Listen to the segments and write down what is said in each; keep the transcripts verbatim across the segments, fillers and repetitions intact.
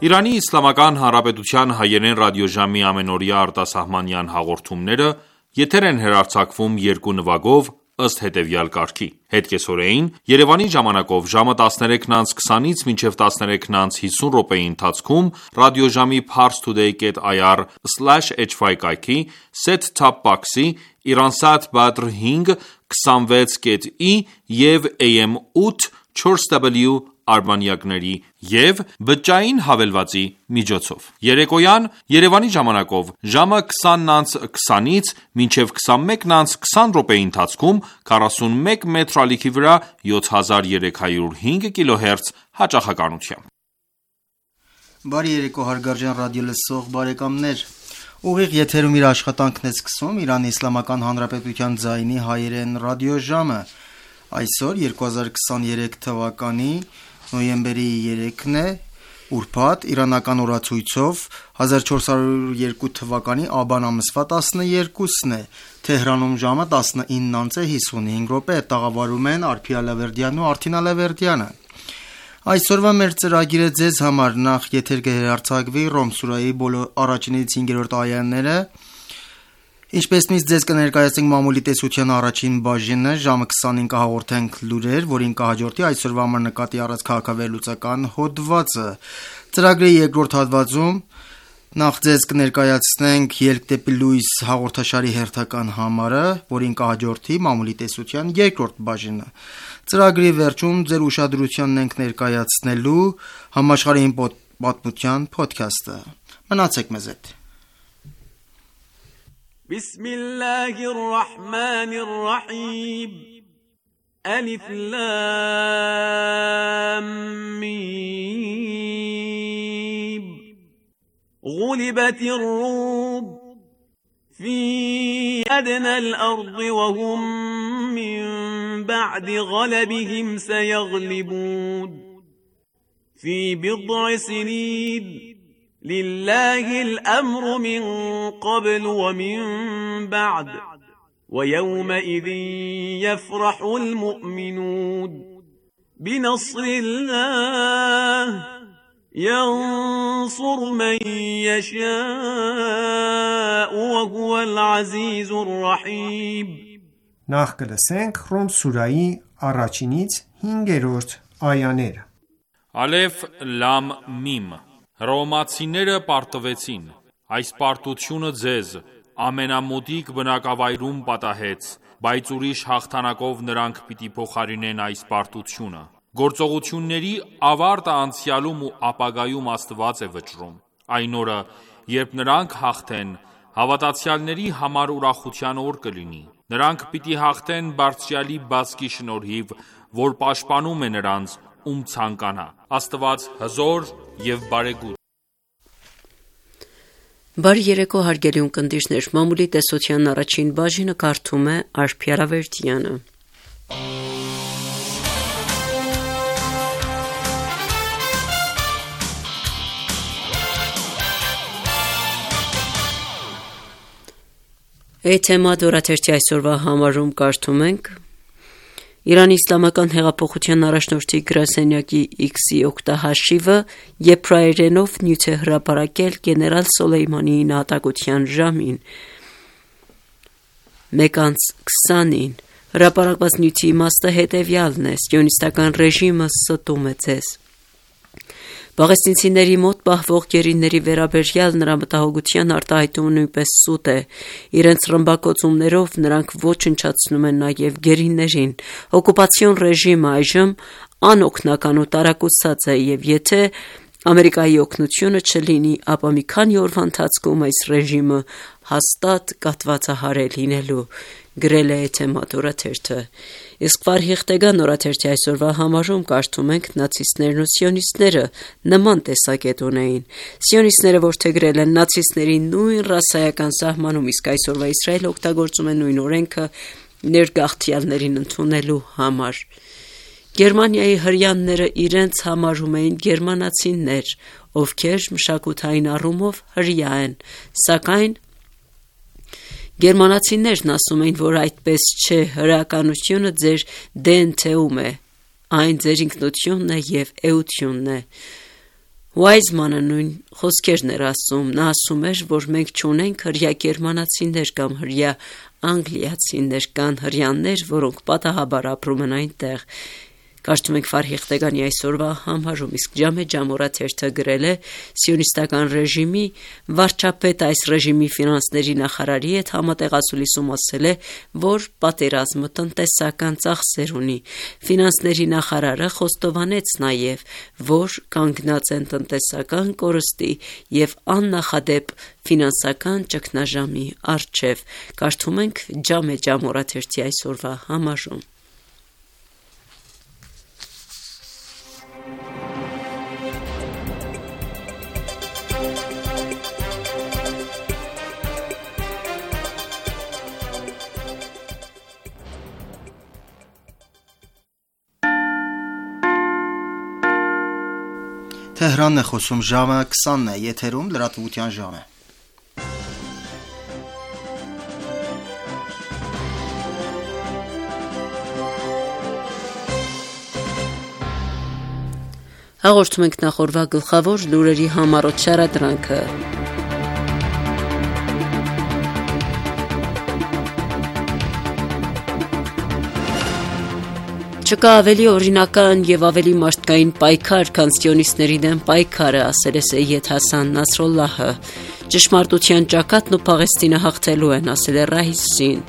Իրանի Իսլամական Հանրապետության հայերեն ռադիոժամի ամենօրյա արտասահմանյան հաղորդումները եթեր են հեռարձակվում երկու նվագով ըստ հետևյալ կարգի: Հետկեսօրեին Երևանի ժամանակով ժամը տասներեքն անց քսանից մինչև տասներեքն անց հիսուն րոպեի ընթացքում ռադիոժամի parstoday dot i r slash h y կայքի, set-top box-ի, Iransat Badr հինգ քսանվեց կետ ի և A M ութ չորս w արբանյակների և բջջային հավելվածի միջոցով: Երեկոյան Երևանի ժամանակով ժամը քսանն անց քսանից մինչև քսանմեկն անց քսան րոպեի ընթացքում քառասունմեկ մետր ալիքի վրա յոթ հազար երեք հարյուր հինգ կիլոհերց հաճախականությամբ: Բարի երեկո հարգարժան ռադիոլսող բարեկամներ: Ուղիղ եթերում իր աշխատանքն է սկսում Իրանի Իսլամական Հանրապետության ձայնի հայերեն ռադիոժամը: Այսօր երկու հազար քսաներեք թվականի նոյեմբերի երեքն է, ուրբաթ, իրանական օրացույցով հազար չորս հարյուր երկու թվականի աբան ամսվա տասներկուսն է: Թեհրանում ժամը տասնինն անց է հիսունհինգ րոպե: Տաղավարում են Արփի Ալավերդյանն ու Արթին Ալավերդյանը: Այսօրվա մեր ծրագիրը ձեզ համար նախ եթեր կհեռարձակվի Ռոմ սուրահի առաջինից հինգերորդ այաները, ինչպես միշտ ձեզ կներկայացնենք մամուլի տեսության առաջին բաժինը, ժամը քսանին կհաղորդենք լուրեր, որին կհաջորդի այսօրվա համար նկատի առած քաղաքավեհլուծական հոդվածը: Ծրագրի երկրորդ հատվածում նախ ձեզ կներկայացնենք Ելք դեպի լույս հաղորդաշարի հերթական համարը, որին կհաջորդի մամուլի տեսության երկրորդ բաժինը: Ծրագրի վերջում ձեր ուշադրությանն ենք ներկայացնելու համաշխարհային պատմության փոդքասթը: Մնացեք մեզ հետ: Բիսմիլլահիր ռահմանիր ռահիմ Ալիֆ լամ միմ Ղուլիբաթիր ռում في أدنى الأرض وهم من بعد غلبهم سيغلبون في بضع سنين لله الأمر من قبل ومن بعد ويومئذ يفرح المؤمنون بنصر الله ينصر من يشاء وهو العزيز الرحيم Նախ կլսենք Ռոմ սուրահի առաջինից հինգերորդ այաները: Ալեֆ լամ միմ Հռոմեացիները պարտվեցին: Այս պարտությունը ձեզ ամենամոտիկ բնակավայրում պատահեց, բայց ուրիշ հաղթանակով նրանք պիտի փոխարինեն այս պարտությունը: Գործողությունների ավարտը անցյալում ու ապագայում Աստված է վճռում: Այն օրը, երբ նրանք հաղթեն, հավատացյալների համար ուրախության օր կլինի: Նրանք պիտի հաղթեն Բարձրյալի բացկի շնորհիվ, որ պաշտպանում է նրանց, ում ցանկանա: Աստված հզոր և բարեգութ: Բարի երեկո հարգելի ունկնդիրներ, մամուլի տեսության առաջին բաժինը կարդում է Արփի Ալավերդյանը: Էթեմադ օրաթերթի այսօրվա համարում կարդում ենք. Իրանի Իսլամական հեղափոխության առաջնորդի գրասենյակի X-ի օգտահաշիվը եբրայերենով նյութ է հրապարակել գեներալ Սոլեյմանիի նահատակության ժամին մեկ անց քսանին: Հրապարակված նյութի իմաստը հետևյալն է. Սիոնիստական ռեժիմը ստում է ձեզ: Պաղեստինցիների մոտ պահվող գերիների վերաբերյալ նրա մտահոգության արտահայտումը նույնպես սուտ է: Իրենց ռմբակոծումներով նրանք ոչնչացնում են նաև գերիներին: Օկուպացիոն ռեժիմը այժմ անօգնական ու տարակուսած է և եթե Ամերիկայի օգնությունը չլինի, ապա մի քանի օրվա ընթացքում այս ռեժիմը հաստատ կաթվածահար է լինելու: Գրել է Էթեմադ օրաթերթը: Իսկ Ֆարհիղտեգան օրաթերթի այսօրվա համարում կարդում ենք. Նացիստներն ու սիոնիստները նման տեսակետ ունեին: Սիոնիստները որդեգրել են նացիստների նույն ռասայական սահմանում, իսկ այսօրվա Իսրայելը օգտագործում է նույն օրենքը ներգաղթյալներին ընդունելու համար: Գերմանիայի հրեաները իրենց համարում էին գերմանացիներ, ովքեր մշակութային առումով հրեա են, սակայն գերմանացիներն ասում էին, որ այդպես չէ, հրեականությունը ձեր դե են թեում է, այն ձեր ինքնությունն է և էությունն է: Գերմանացիները, ովքեր հրեաներ էին, ասում էին, որ այդպես չէ, հրեականությունը ձեր դե են թեում է, այն ձեր ինքնությունն է և էությունն է: Վայզմանը նույն խոսքերն էր ասում, նա ասում էր, որ մենք չունենք հրյա գերմանացիներ կամ հրյա անգլիացիներ կան հրյաններ, որոնք պատահաբար ապրում են այնտեղ։ Կարծում ենք Ֆարհի Խտեգանի այսօրվա համարում, իսկ Ջամե Ջամորա թերթը գրել է սիոնիստական ռեժիմի վարչապետ այս ռեժիմի ֆինանսների նախարարի հետ համատեղացուլիսում ասել է, որ պատերազմը տնտեսական ծախսեր ունի։ Ֆինանսների նախարարը խոստովանեց նաև, որ կանգնած են տնտեսական կորստի և աննախադեպ ֆինանսական ճգնաժամի առջև։ Կարդում ենք Ջամե Ջամորա թերթի այսօրվա համարում։ Թեհրանն է խոսում, ժամը քսանն է, եթերում լրատվության ժամ է։ Հաղորդում ենք նախորդ գլխավոր լուրերի համառոտ շարադրանքը։ Չկա ավելի օրինական եւ ավելի մարդկային պայքար, քան սիոնիստների դեմ պայքարը, ասել է Սեյեդ Հասան Նասրոլլահը։ Ճշմարտության ճակատն ու Պաղեստինը հաղթելու են, ասել է Ռայիսին։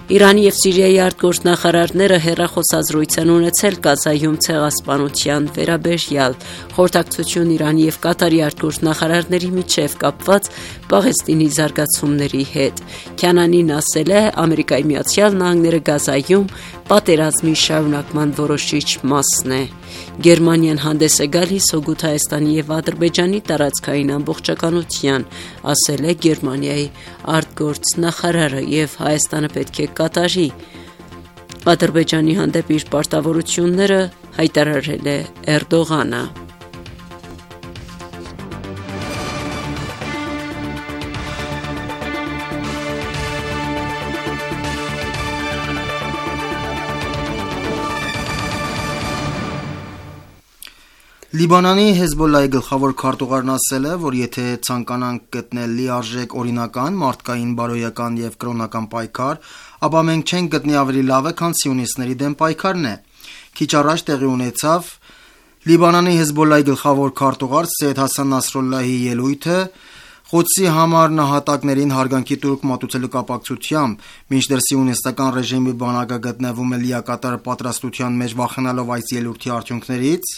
Իրանի եւ Սիրիայի արտգործնախարարները հեռախոսազրույց են ունեցել Գազայում ցեղասպանության վերաբերյալ։ Խորհրդակցություն Իրանի եւ Կատարի արտգործնախարարների միջև կապված Պաղեստինի զարգացումների հետ։ Քյանանին ասել է, Ամերիկայի Միացյալ Նահանգները Գազայում պատերազմի շարունակման որոշիչ մասն է։ Գերմանիան հանդես է գալիս հօգուտ Հայաստանի եւ Ադրբեջանի տարածքային ամբողջականության, ասել է Գերմանիայի արտգործնախարարը, եւ Հայաստանը պետք է կատարի Ադրբեջանի հանդեպ իր պարտավորությունները, հայտարարել է Էրդողանը։ Լիբանանի Հեզբոլլահի գլխավոր քարտուղարն ասել է, որ եթե ցանկանանք գտնել լիարժեք օրինական, մարդկային, բարոյական եւ կրոնական պայքար, ապա մենք չենք գտնի ավելի լավը, քան սիոնիստների դեմ պայքարն է։ Քիչ առաջ տեղի ունեցավ Լիբանանի Հեզբոլլահի գլխավոր քարտուղար Սեյեդ Հասան Նասրոլլահի ելույթը Ղոդսի համար նահատակներին հարգանքի տուրք մատուցելու կապակցությամբ, մինչդեռ սիոնիստական ռեժիմի բանակը գտնվում է լիակատար պատրաստության մեջ վախենալով այս ելույթի արդյունքներից,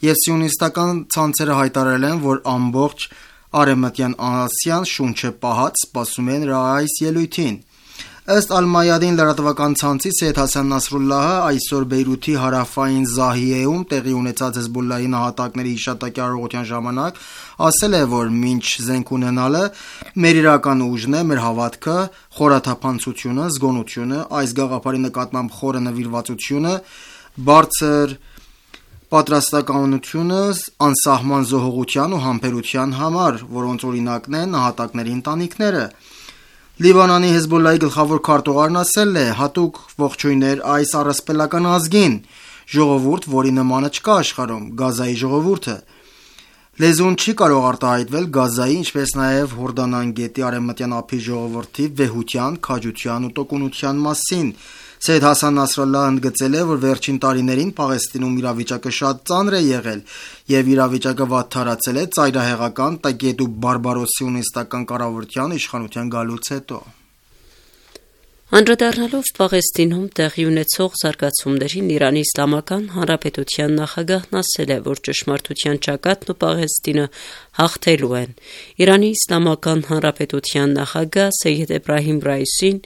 եւ սիոնիստական ցանցերը հայտարարել են, որ ամբողջ Արևմտյան Ասիան շունչը պահած սպասում է նրա այս ելույթին։ Ըստ Ալ-Մայադին լրատվական ցանցի Սեյեդ Հասան Նասրոլլահը այսօր Բեյրութի հարավային Զահիեում տեղի ունեցած Հեզբոլլահի նահատակների հիշատակի արարողության ժամանակ ասել է, որ մինչ զենք ունենալը մեր իրական ուժն է, մեր հավատքը, խորաթափանցությունը, զգոնությունը, այս գաղափարի նկատմամբ խորը նվիրվածությունը, բարձր պատրաստականությունը անսահման զոհողության ու համբերության համար, որոնց օրինակն են նահատակների ընտանիքները։ Լիբանանի Հեզբոլլահի գլխավոր քարտուղարն ասել է. հատուկ ողջույններ այս առասպելական ազգին, ժողովուրդ, որի նմանը չկա աշխարհում, Գազայի ժողովուրդը։ Լեզուն չի կարող արտահայտվել Գազայի, ինչպես նաև Հորդանան գետի արևմտյան ափի ժողովրդի վեհության, քաջության ու տոկունության մասին։ Սեյեդ Հասան Նասրալլահը ընդգծել է, որ վերջին տարիներին Պաղեստինում իրավիճակը շատ ծանր է եղել եւ իրավիճակը վատթարացել է ծայրահեղական, տգետ ու բարբարոս սիոնիստական կառավարության իշխանության գալուց հետո։ Անդրադառնալով Պաղեստինում տեղի ունեցող զարգացումներին, Իրանի Իսլամական Հանրապետության նախագահն ասել է, որ ճշմարտության ճակատն ու Պաղեստինը հաղթելու են։ Իրանի Իսլամական Հանրապետության նախագահ Սեյեդ Էբրահիմ Ռայիսին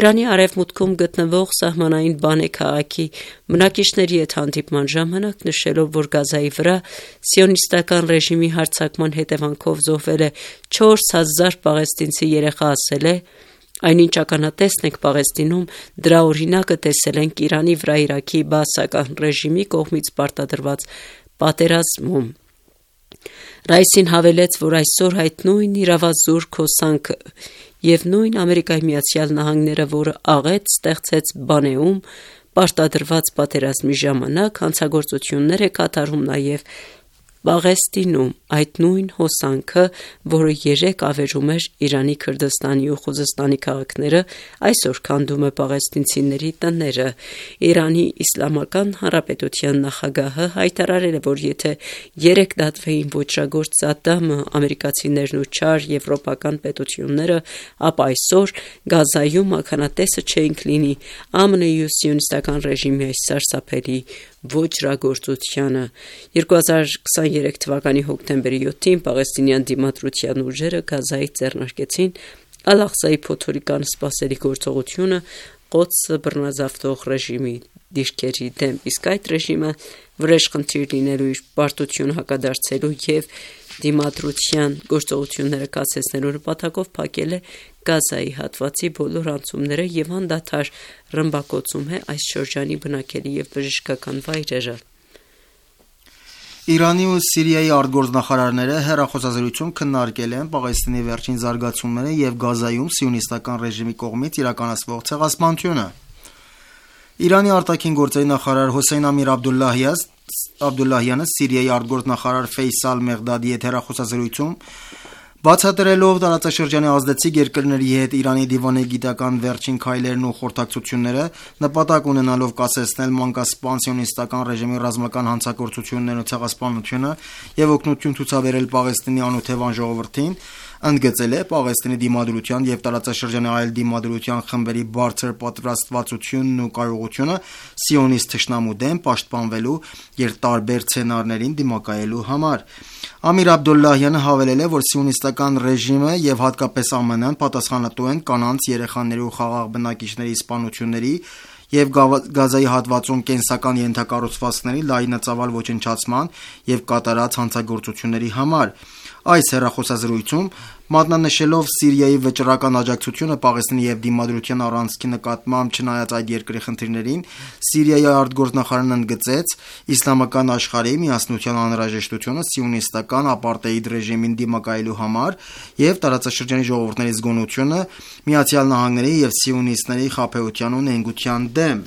Իրանի արևմուտքում գտնվող սահմանային Բանե քաղաքի բնակիչների հետ հանդիպման ժամանակ նշելով, որ Գազայի վրա սիոնիստական ռեժիմի հարձակման հետևանքով զոհվել է չորս հազար պաղեստինցի երեխա, ասել է. Այնինչ ականատեսն ենք Պաղեստինում, դրա օրինակը տեսել ենք Իրանի վրա Իրաքի բաասական ռեժիմի կողմից պարտադրված պատերազմում։ Ռայիսին հավելեց, որ այսօր այդ նույն իրավազուրկ հոսանքը եւ նույն Ամերիկայի Միացյալ Նահանգները, որը աղետ ստեղծեց Բանեում պարտադրված պատերազմի ժամանակ, հանցագործություններ է կատարում նաեւ Պաղեստինում այդ նույն հոսանքը, որը երեկ ավերում էր Իրանի Քրդստանի ու Խուզստանի քաղաքները, այսօր քանդում է պաղեստինցիների տները։ Իրանի Իսլամական Հանրապետության նախագահը հայտարարել է, որ եթե երեք դատվեին ոճրագործ Սադդամը, ամերիկացիներն ու չար եվրոպական պետությունները, ապա այսօր Գազայում ականատեսը չէինք լինի ԱՄՆ-ի ու սիոնիստական ռեժիմի այս սարսափելի ոճրագործությանը։ երկու հազար քսաներեք թվականի հոկտեմբերի յոթին պաղեստինյան դիմադրության ուժերը Գազայից ձեռնարկեցին Ալ-Աղսայի փոթորիկան սպասելի գործողությունը Ղոդսը բռնազավթող ռեժիմի դիրքերի դեմ, իսկ այդ ռեժիմը վրեժխնդիր լինելու իր պարտությունը հակադարձելու և դիմադրության գործողությունները կասեցնելու նպատակով փակել է Գազայի հատվածի բոլոր անցումները և անդադար ռմբակոծում է այս շրջանի բնակելի և բժշկական վայրերը։ Իրանի ու Սիրիայի արտգործնախարարները հեռախոսազրույցում քննարկել են Պաղեստինի վերջին զարգացումները և Գազայում սիոնիստական ռեժիմի կողմից իրականացվող ցեղասպանությունը։ Իրանի արտաքին գործերի նախարար Հոսեյն Ամիր Աբդուլլահյանը Սիրիայի արտգործնախարար Ֆեյսալ Մեղդադի հետ հեռախոսազրույցում բացատրելով տարածաշրջանի ազդեցիկ երկրների հետ Իրանի դիվանագիտական վերջին քայլերն ու խորհրդակցությունները, նպատակ ունենալով կասեցնել մանկասպան սիոնիստական ռեժիմի ռազմական հանցագործություններն ու ցեղասպանությունը և օգնություն ցուցաբերել Պաղեստինի անօթևան ժողովրդին, ընդգծել է Պաղեստինի դիմադրության և տարածաշրջանի այլ դիմադրության խմբերի բարձր պատրաստվածությունն ու կարողությունը սիոնիստ թշնամու դեմ պաշտպանվելու և տարբեր սցենարներին դիմակայելու համար։ Ամիր Աբդուլլահյանը հավելել է, որ սիոնիստական ռեժիմը և հատկապես ԱՄՆ-ն պատասխանատու են կանանց, երեխաների ու խաղաղ բնակիչների սպանությունների և Գազայի հատվածում կենսական ենթակառուցվածքների լայնածավալ ոչնչացման և կատարած հանցագործությունների համար։ Այս հեռախոսազրույցում, մատնանշելով Սիրիայի վճռական աջակցությունը Պաղեստինի և դիմադրության առանցքի նկատմամբ չնայած այդ երկրի խնդիրներին, Սիրիայի արտգործնախարարն ընդգծեց իսլամական աշխարհի միասնության անհրաժեշտությունը սիոնիստական ապարտեիդ ռեժիմին դիմակայելու համար և տարածաշրջանի ժողովուրդների զգոնությունը Միացյալ Նահանգների և սիոնիստների խաբեության ու նենգության դեմ։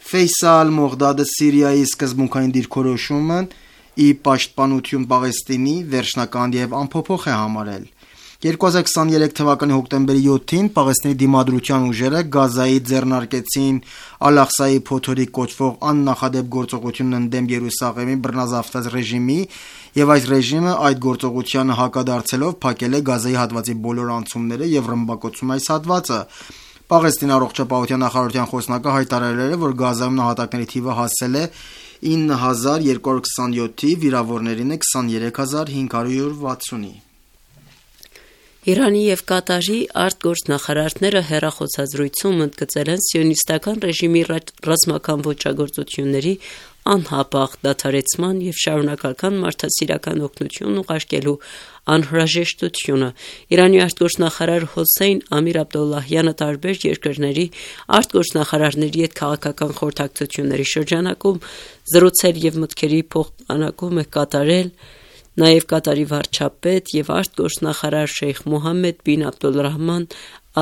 Ֆեյսալ Մեղդադը Սիրիայի սկզբունքային դիրքորոշումն ի պաշտպանություն Պաղեստինի վերջնական և անփոփոխ է համարել։ երկու հազար քսաներեք թվականի հոկտեմբերի յոթին Պաղեստինի դիմադրության ուժերը Գազայի ձեռնարկեցին Ալ-Աղսայի փոթորիկ կոչվող աննախադեպ գործողությունն ընդդեմ Երուսաղեմի բռնազավթած ռեժիմի և այս ռեժիմը այդ գործողությանը հակադարձելով փակել է Գազայի հատվածի բոլոր անցումները և ռմբակոծում այս հատվածը։ Պաղեստինի առողջապահության նախարարության խոսնակը հայտարարել է, որ Գազայում նահատակների թիվը հասել է ինը հազար երկու հարյուր քսաներկուի, վիրավորներինը քսաներեք հազար հինգ հարյուր վաթսունի։ Իրանի և Կատարի արտգործնախարարները հեռախոսազրույցում ընդգծել են սիոնիստական ռեժիմի ռազմական ոճրագործությունների անհապաղ դադարեցման և շարունակական մարդասիրական օգնություն ուղարկելու անհրաժեշտությունը։ Իրանի արտգործնախարար Հոսեյն Ամիր Աբդուլլահյանը տարբեր երկրների արտգործնախարարների հետ քաղաքական խորհրդակցությունների շրջանակում զրուցել և մտքերի փոխանակում է կատարել նաև Կատարի վարչապետ և արտգործնախարար Շեյխ Մոհամմեդ բին Աբդոլրահման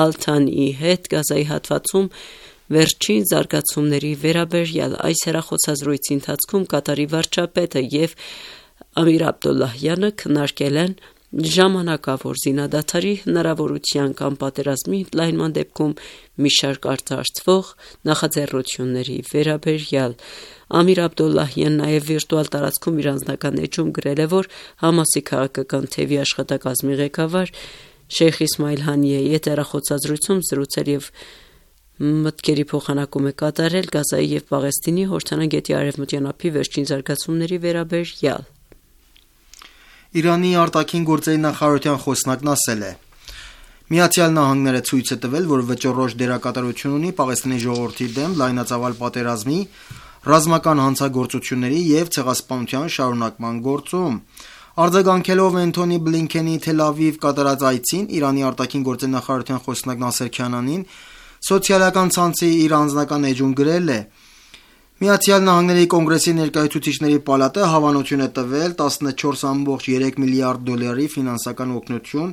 Ալ Թանիի հետ Գազայի հատվածում վերջին զարգացումների վերաբերյալ։ Այս հեռախոսազրույցի ընթացքում Կատարի վարչապետը և Ամիր Աբդուլլահյանը քննարկել են ժամանակավոր զինադադարի հնարավորության կամ պատերազմի ընդլայնման դեպքում մի շարք արտարծվող նախաձեռնությունների վերաբերյալ։ Ամիր Աբդուլլահյանն նաև վիրտուալ տարածքում իր անձնական էջում գրել է, որ Համասի քաղաքական թևի աշխատակազմի ղեկավար Շեյխ Իսմայիլ Հանիեի հետ հեռախոսազրույցում զրուցել և մտքերի փոխանակում է կատարել Գազայի և Պաղեստինի Հորդանան գետի արևմտյան ափի վերջին զարգացումների վերաբերյալ։ Իրանի արտաքին գործերի նախարարության խոսնակն ասել է. Միացյալ Նահանգները ցույց է տվել, որ վճռորոշ դերակատարություն ունի Պաղեստինի ժողովրդի դեմ լայնածավալ պատերազմի, ռազմական հանցագործությունների և ցեղասպանության շարունակման գործում։ Արձագանքելով Էնթոնի Բլինքենի Թել Ավիվ կատարած այցին, Իրանի արտաքին գործերի նախարարության խոսնակ Նասեր Քանանին սոցիալական ցանցի իր անձնական էջում գրել է. Միացյալ Նահանգների Կոնգրեսի ներկայացուցիչների պալատը հավանություն է տվել տասնչորս կoma երեք միլիարդ դոլարի ֆինանսական օգնություն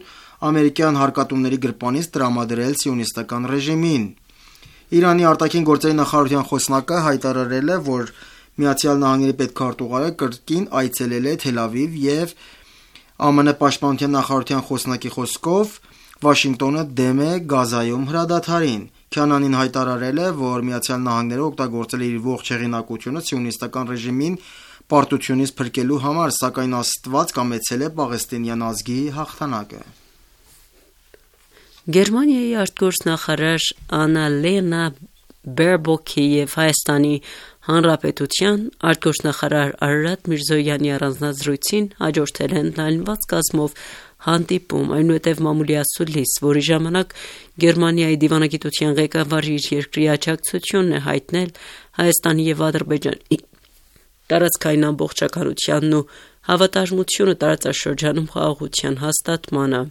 ամերիկյան հարկատուների գրպանից տրամադրել սիոնիստական ռեժիմին։ Իրանի արտաքին գործերի նախարարության խոսնակը հայտարարել է, որ Միացյալ Նահանգների պետքարտուղարը կրկին այցելել է Թել Ավիվ և ԱՄՆ պաշտպանության նախարարության խոսնակի խոսքով Վաշինգտոնը դեմ է Գազայում հրադադարին։ Քանանին հայտարարել է, որ Միացյալ Նահանգները օգտագործել է իր ողջ հեղինակությունը սիոնիստական ռեժիմին պարտությունից փրկելու համար, սակայն Աստված կամեցել է պաղեստինյան ազգի հաղթանակը։ Գերմանիայի արտգործնախարար Աննալենա Բերբոքի և Հայաստանի Հանրապետության արտգործնախարար Արարատ Միրզոյանի առանձնազրույցին հաջորդել են լայնված կազմով հանդիպում, այնուհետև մամուլի ասուլիս, որի ժամանակ Գերմանիայի դիվանագիտության ղեկավարը իր երկրի աջակցությունն է հայտնել Հայաստանի և Ադրբեջանի տարածքային ամբողջականությանն ու հավատարմությունը տարածաշրջանում խաղաղության հաստատմանը։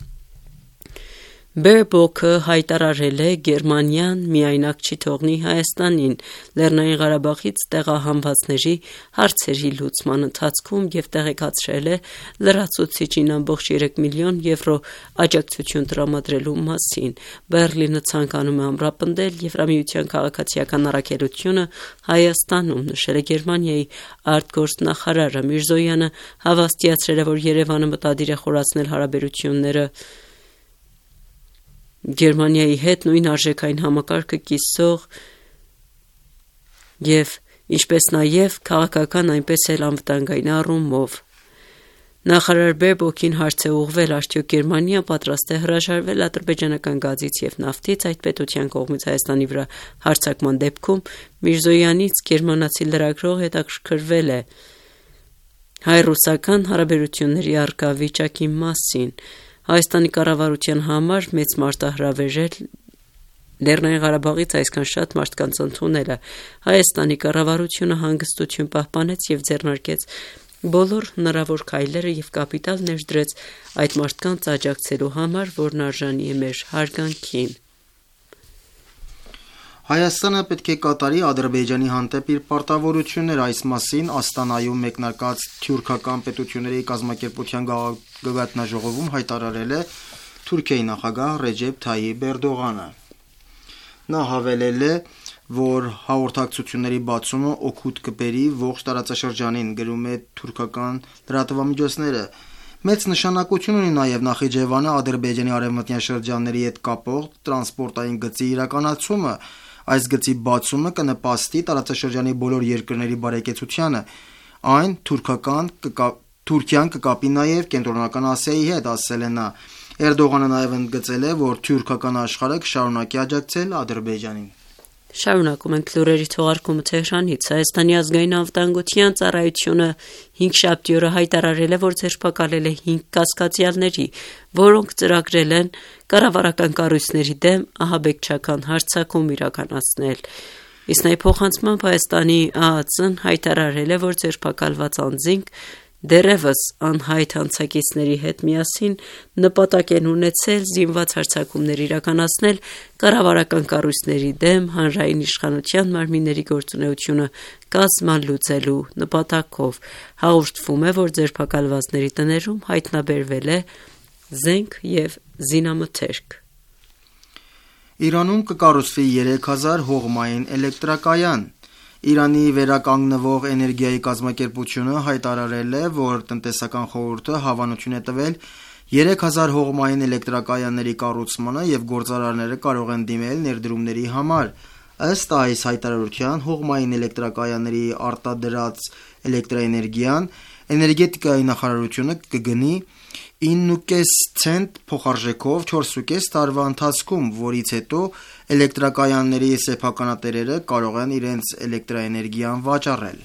Բերբոքը հայտարարել է Գերմանիան միայնակ չի թողնի Հայաստանին Լեռնային Ղարաբաղից տեղահանվածների հարցերի լուծման ընթացքում և տեղեկացրել է լրացուցիչին ամբողջ երեք միլիոն եվրո աջակցություն տրամադրելու մասին։ Բեռլինը ցանկանում է ամրապնդել Եվրամիության քաղաքացիական առաքելությունը Հայաստանում, նշել է Գերմանիայի արտգործնախարարը։ Միրզոյանը հավաստիացրել է, որ Երևանը մտադիր է խորացնել հարաբերությունները Գերմանիայի հետ նույն արժեքային համակարգը կիսող և ինչպես նաև քաղաքական, այնպես էլ անվտանգային առումով։ Նախարար Բերբոքին հարց է ուղղվել, արդյոք Գերմանիան պատրաստ է հրաժարվել ադրբեջանական գազից և նավթից այդ պետության կողմից Հայաստանի վրա հարձակման դեպքում։ Միրզոյանից գերմանացի լրագրող հետաքրքրվել է հայ-ռուսական հարաբերությունների առկա վիճակի մասին։ Հայաստանի կառավարության համար մեծ մարտահրավեր էր Լեռնային Ղարաբաղից այսքան շատ մարդկանց ընդունելը։ Հայաստանի կառավարությունը հանգստություն պահպանեց և ձեռնարկեց բոլոր հնարավոր քայլերը և կապիտալ ներդրեց այդ մարդկանց աջակցելու համար, որն արժանի է մեր հարգանքին։ Հայաստանը պետք է կատարի Ադրբեջանի հանդեպ իր պարտավորությունները, այս մասին Աստանայում մեկնարկած թյուրքական պետությունների կազմակերպության գագաթնաժողովում հայտարարել է Թուրքիայի նախագահ Ռեջեփ Թայիփ Էրդողանը։ Նա հավելել է, որ հաղորդակցությունների բացումը օգուտ կբերի ողջ տարածաշրջանին, գրում է թուրքական լրատվամիջոցները։ Մեծ նշանակություն ունի նաև Նախիջևանը Ադրբեջանի արևմտյան շրջանների հետ կապող տրանսպորտային գծի իրականացումը։ Այս գծի բացումը կնպաստի տարածաշրջանի բոլոր երկրների բարեկեցությանը։ Այն թուրքական Թուրքիան կկապի նաև Կենտրոնական Ասիայի հետ, ասել է նա։ Էրդողանը նաև ընդգծել է, որ թուրքական աշխարհը կշարունակի աջակցել Ադրբեջանին։ Շարունակում ենք լուրերի թողարկումը Թեհրանից։ Հայաստանի ազգային անվտանգության ծառայությունը հինգշաբթի օրը հայտարարել է, որ ձերբակալել է հինգ կասկածյալների, որոնք ծրագրել են կառավարական կառույցների դեմ ահաբեկչական հարձակում իրականացնել։ Իսկ նայ փոխանցմամբ Հայաստանի ԱԱԾ-ն հայտարարել է, որ ձերբակալված անձինք դեռևս անհայտ հանցակիցների հետ միասին նպատակ են ունեցել զինված հարձակումներ իրականացնել կառավարական կառույցների դեմ հանրային իշխանության մարմինների գործունեությունը կազմալուծելու նպատակով։ Հաղորդվում է, որ ձերբակալվածների տներում հայտնաբերվել է զենք և զինամթերք։ Իրանում կկառուցվի երեք հազար հողմային էլեկտրակայան։ Իրանի վերականգնվող էներգիայի կազմակերպությունը հայտարարել է, որ տնտեսական խորհուրդը հավանություն է տվել երեք հազար հողմային էլեկտրակայանների կառուցմանը և գործարարները կարող են դիմել ներդրումների համար։ Ըստ այս հայտարարության, հողմային էլեկտրակայանների արտադրած էլեկտրաէներգիան էներգետիկայի նախարարությունը կգնի ինը կես ցենտ փոխարժեքով չորս տարվա ընթացքում, որից հետո էլեկտրակայանների սեփականատերերը կարող են իրենց էլեկտրաէներգիան վաճառել։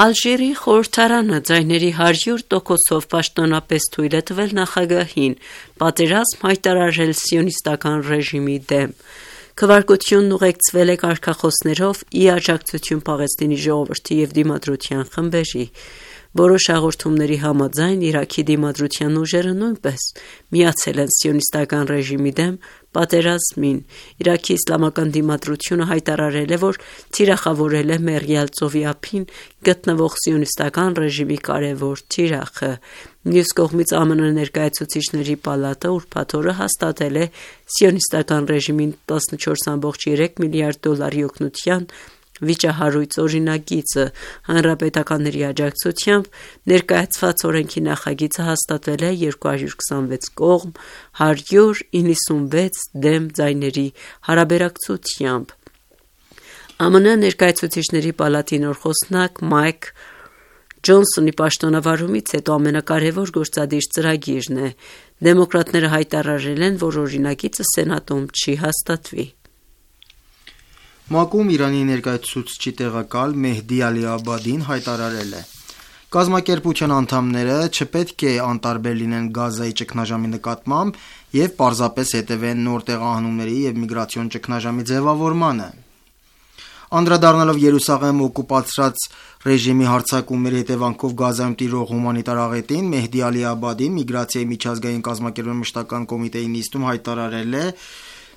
Ալժիրի խորհրդարանը ձայների հարյուր տոկոսով պաշտոնապես թույլ է տվել նախագահին պատերազմ հայտարարել սիոնիստական ռեժիմի դեմ։ Քվարկությունն ուղեկցվել է կարգախոսներով ի աջակցություն Պաղեստինի ժողովրդի և դիմադրության խմբերի։ Որոշ հաղորդումների համաձայն Իրաքի դիմադրության ուժերը նույնպես միացել են սիոնիստական ռեժիմի դեմ պատերազմին։ Իրաքի իսլամական դիմադրությունը հայտարարել է, որ թիրախավորել է Մեղրյալ ծովի ափին գտնվող սիոնիստական ռեժիմի կարևոր թիրախը։ Մյուս կողմից ԱՄՆ ներկայացուցիչների պալատը ուրբաթ օրը հաստատել է սիոնիստական ռեժիմին տասնչորս կόμμα երեք միլիարդ դոլարի օգնության Վիճահարույց օրինագիծը հանրապետականների աջակցությամբ ներկայացված օրենքի նախագիծը հաստատվել է երկու հարյուր քսանվեց կողմ հարյուր իննսունվեց դեմ ձայների հարաբերակցությամբ։ ԱՄՆ ներկայացուցիչների պալատի նոր խոսնակ Մայք Ջոնսոնի պաշտոնավարումից հետո ամենակարևոր գործադիր ծրագիրն է։ Դեմոկրատները հայտարարել են, որ օրինագիծը Սենատում չի հաստատվի։ ՄԱԿ-ում Իրանի ներկայացուցչի տեղակալ Մեհդի Ալի-Աբադին հայտարարել է. Կազմակերպության անդամները չպետք է անտարբեր լինեն Գազայի ճգնաժամի նկատմամբ եւ պարզապես հետևեն նոր տեղահանումների եւ միգրացիոն ճգնաժամի ձևավորմանը։ Անդրադառնալով Երուսաղեմ օկուպացրած ռեժիմի հարձակումների հետևանքով Գազայում տիրող հումանիտար աղետին, Մեհդի Ալի-Աբադին միգրացիայի միջազգային կազմակերպության մշտական կոմիտեի նիստում հայտարարել է,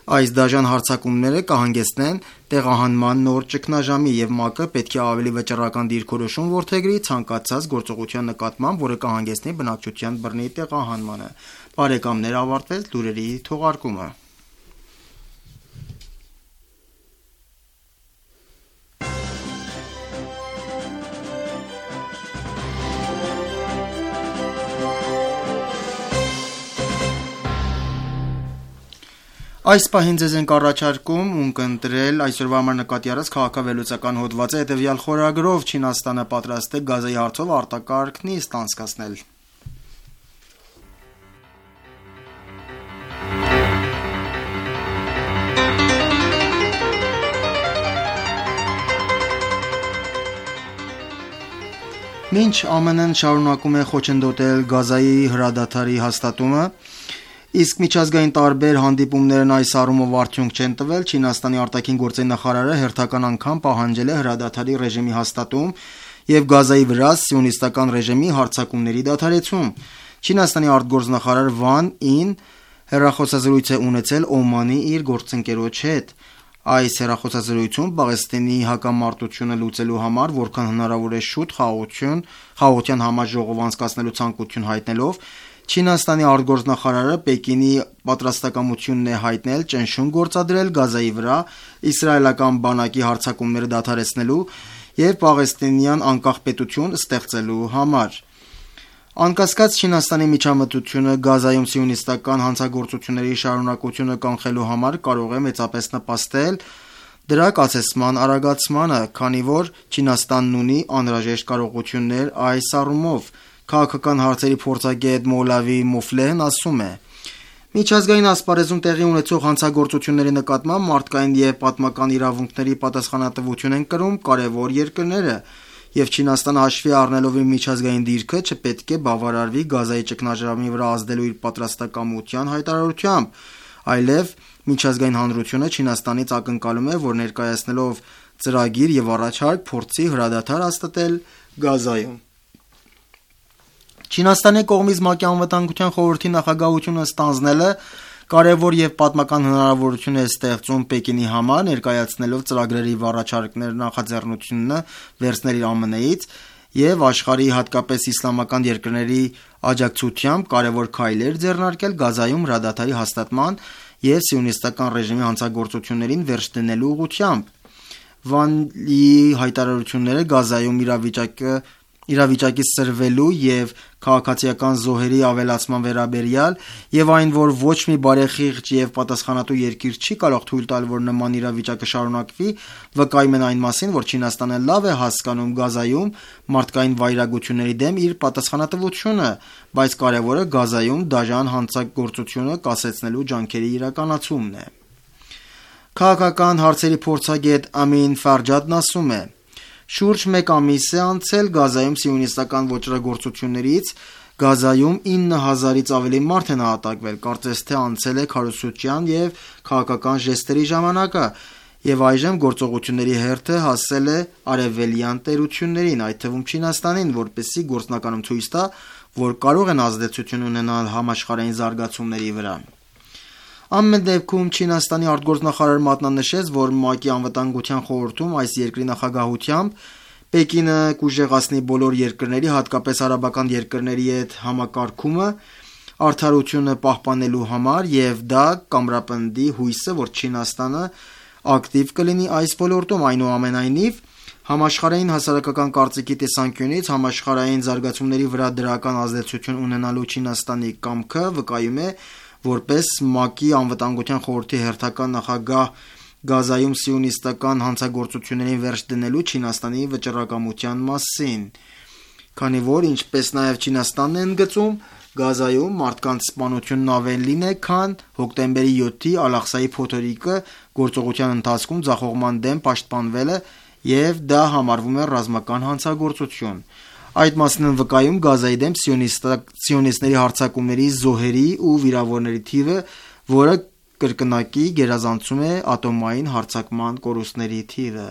այս դաժան հարձակումները կհանգեցնեն տեղահանման նոր ճգնաժամի եւ ՄԱԿ-ը պետք է ավելի վճռական դիրքորոշում որդեգրի ցանկացած գործողության նկատմամբ, որը կհանգեցնի բնակչության բռնի տեղահանմանը։ Բարեկամներ, ավարտվեց լուրերի թողարկումը։ Այս պահին ձեզ ենք առաջարկում ունկնդրել այսօրվա համար նկատի առած քաղաքավելոցական հոդվածը հետևյալ խորագրով Չինաստանը պատրաստ է Գազայի հարցով արտակարգ նիստ անցկացնել։ Մինչ ԱՄՆ-ն շարունակում է խոչընդոտել Գազայի հրադադարի հաստատումը, իսկ միջազգային տարբեր հանդիպումներն այս առումով արդյունք չեն տվել, Չինաստանի արտաքին գործերի նախարարը հերթական անգամ պահանջել է հրադադարի ռեժիմի հաստատում եւ Գազայի վրա սիոնիստական ռեժիմի հարձակումների դադարեցում։ Չինաստանի արտգործնախարար Վան Ին հեռախոսազրույց է ունեցել Օմանի իր գործընկերոջ հետ։ Այս հեռախոսազրույցում Պաղեստինի հակամարտությունը լուծելու համար որքան հնարավոր է շուտ խաղաղություն, խաղաղության համաժողով անցկացնելու ցանկություն հայտնելով, Չինաստանի արտգործնախարարը Պեկինի պատրաստակամությունն է հայտնել ճնշում գործադրել Գազայի վրա իսրայելական բանակի հարձակումները դադարեցնելու եւ պաղեստինյան անկախ պետություն ստեղծելու համար։ Անկասկած Չինաստանի միջամտությունը Գազայում սիոնիստական հանցագործությունների շարունակությունը կանխելու համար կարող է մեծապես նպաստել դրա կացեցման արագացմանը, քանի որ Չինաստանն ունի անհրաժեշտ կարողություններ այս առումով։ Քաղաքական հարցերի փորձագետ Մոլավի Մուֆլեհն ասում է. Միջազգային ասպարեզում տեղի ունեցող հանցագործությունների նկատմամբ մարդկային եւ պատմական իրավունքների պատասխանատվություն են կրում կարևոր երկրները, եւ Չինաստանը հաշվի առնելով իր միջազգային դիրքը չպետք է բավարարվի Գազայի ճգնաժամի վրա ազդելու իր պատրաստակամության հայտարարությամբ, այլև միջազգային հանրությունը Չինաստանից ակնկալում է, որ ներկայացնելով ծրագիր եւ առաջարկ փորձի հրադադար հաստատել Գազայում։ Չինաստանի կողմից ՄԱԿ-ի անվտանգության խորհրդի նախագահությունը ստանձնելը կարևոր եւ պատմական հնարավորություն է ստեղծում Պեկինի համար, ներկայացնելով ծրագրերի առաջարկներ նախաձեռնությունը վերցնել իր ԱՄՆ-ից եւ աշխարհի հատկապես իսլամական երկրների աջակցությամբ կարևոր քայլեր ձեռնարկել Գազայում հրադադարի հաստատման եւ սիոնիստական ռեժիմի հանցագործություններին վերջ դնելու ուղղությամբ։ Վանի հայտարարությունները Գազայում իրավիճակը իրավիճակի սրվելու եւ քաղաքացիական զոհերի ավելացման վերաբերյալ եւ այն, որ ոչ մի բարեխիղճ եւ պատասխանատու երկիր չի կարող թույլ տալ, որ նման իրավիճակը շարունակվի, վկայում են այն մասին, որ Չինաստանը լավ է հասկանում Գազայում մարդկային վայրագությունների դեմ իր պատասխանատվությունը, բայց կարևորը Գազայում դաժան հանցագործությունը կասեցնելու ջանքերի իրականացումն է։ Քաղաքական հարցերի փորձագետ Ամին Ֆարջադն ասում է. Շուրջ մեկ ամիս է անցել Գազայում սիոնիստական ոճրագործություններից, Գազայում ինը հազարից ավելի մարդ է նահատակվել, կարծես թե անցել է քարոզչության եւ քաղաքական ժեստերի ժամանակը, եւ այժմ գործողությունների հերթը հասել է արևելյան տերություններին, այդ թվում Չինաստանին, որպեսզի գործնականում ցույց տա, որ կարող են ազդեցություն ունենալ համաշխարհային զարգացումների վրա։ Ամեն դեպքում Չինաստանի արտգործնախարարը մատնանշեց, որ ՄԱԿ-ի անվտանգության խորհրդում այս երկրի նախագահությամբ Պեկինը կուժեղացնի բոլոր երկրների, հատկապես արաբական երկրների հետ համակարգումը արդարությունը պահպանելու համար եւ դա կամրապնդի հույսը, որ Չինաստանը ակտիվ կլինի այս ոլորտում։ Այնուամենայնիվ, համաշխարհային հասարակական կարծիքի տեսանկյունից համաշխարհային զարգացումների վրա դրական ազդեցություն ունենալու Չինաստանի կամքը վկայում է որպես ՄԱԿ-ի անվտանգության խորհրդի հերթական նախագահ Գազայում սիոնիստական հանցագործություններին վերջ դնելու Չինաստանի վճռակամության մասին, քանի որ, ինչպես նաև Չինաստանն է ընդգծում, Գազայում մարդկանց սպանությունն ավելին է, քան հոկտեմբերի յոթի Ալ-Աղսայի փոթորիկը գործողության ընթացքում ձախողման դեմ պաշտպանվելը և դա համարվում է ռազմական հանցագործություն։ Այդ մասին են վկայում Գազայի դեմ սիոնիստների հարձակումների զոհերի ու վիրավորների թիվը, որը կրկնակի գերազանցում է ատոմային հարձակման կորուստների թիվը։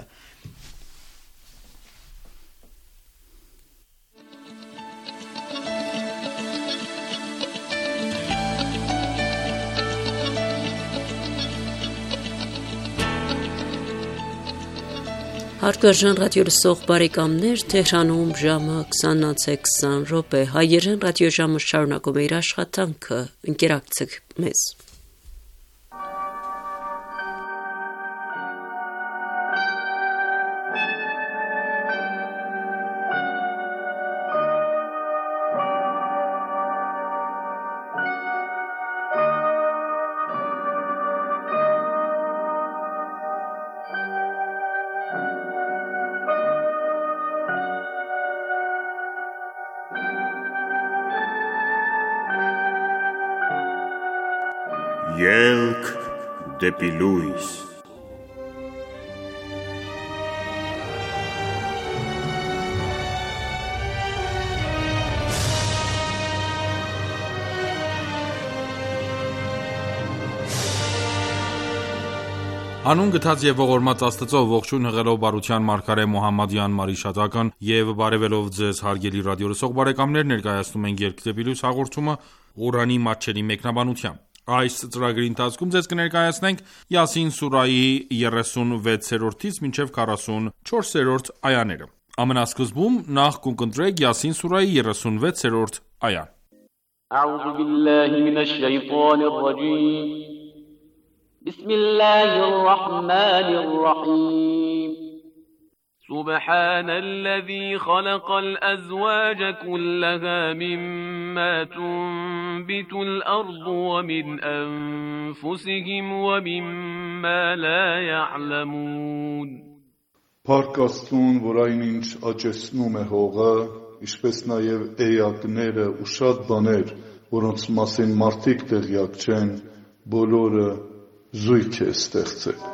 Հարգարժան ռադիոլսող բարեկամներ, Թեհրանում ժամը քսանից քսան րոպե, հայերեն ռադիոժամը շարունակում է իր աշխատանքը, ընկերակցեք մեզ։ Ելք դեպի լույս։ Հանուն գթած եւ ողորմած Աստծո, ողջույն հղելով բարության մարգարե Մոհամմադյան Մարիշատական եւ բարեւելով ձեզ հարգելի ռադիոլսող բարեկամներ, ներկայացնում ենք Ելք դեպի լույս հաղորդումը Ղուրանի մատչելի մեկնաբանությամբ։ Այս ծրագրի ընթացքում ձեզ կներկայացնենք Յասին սուրայի երեսունվեցերորդից մինչև քառասունչորսերորդ այաները։ Ամենասկզբում նախ կընտրեք Յասին սուրայի երեսունվեցերորդ այան։ أعوذ بالله من الشيطان الرجيم بسم الله الرحمن الرحيم سبحان الذي خلق الأزواج كلها مما تنبت الأرض ومن أنفسهم ومما لا يعلمون Փառք Աստծուն, որ այնինչ աճեցնում է հողը, ինչպես նաև էակները ու շատ բաներ, որոնց մասին մարդիկ տեղյակ չեն, բոլորը զույգ է ստեղծել։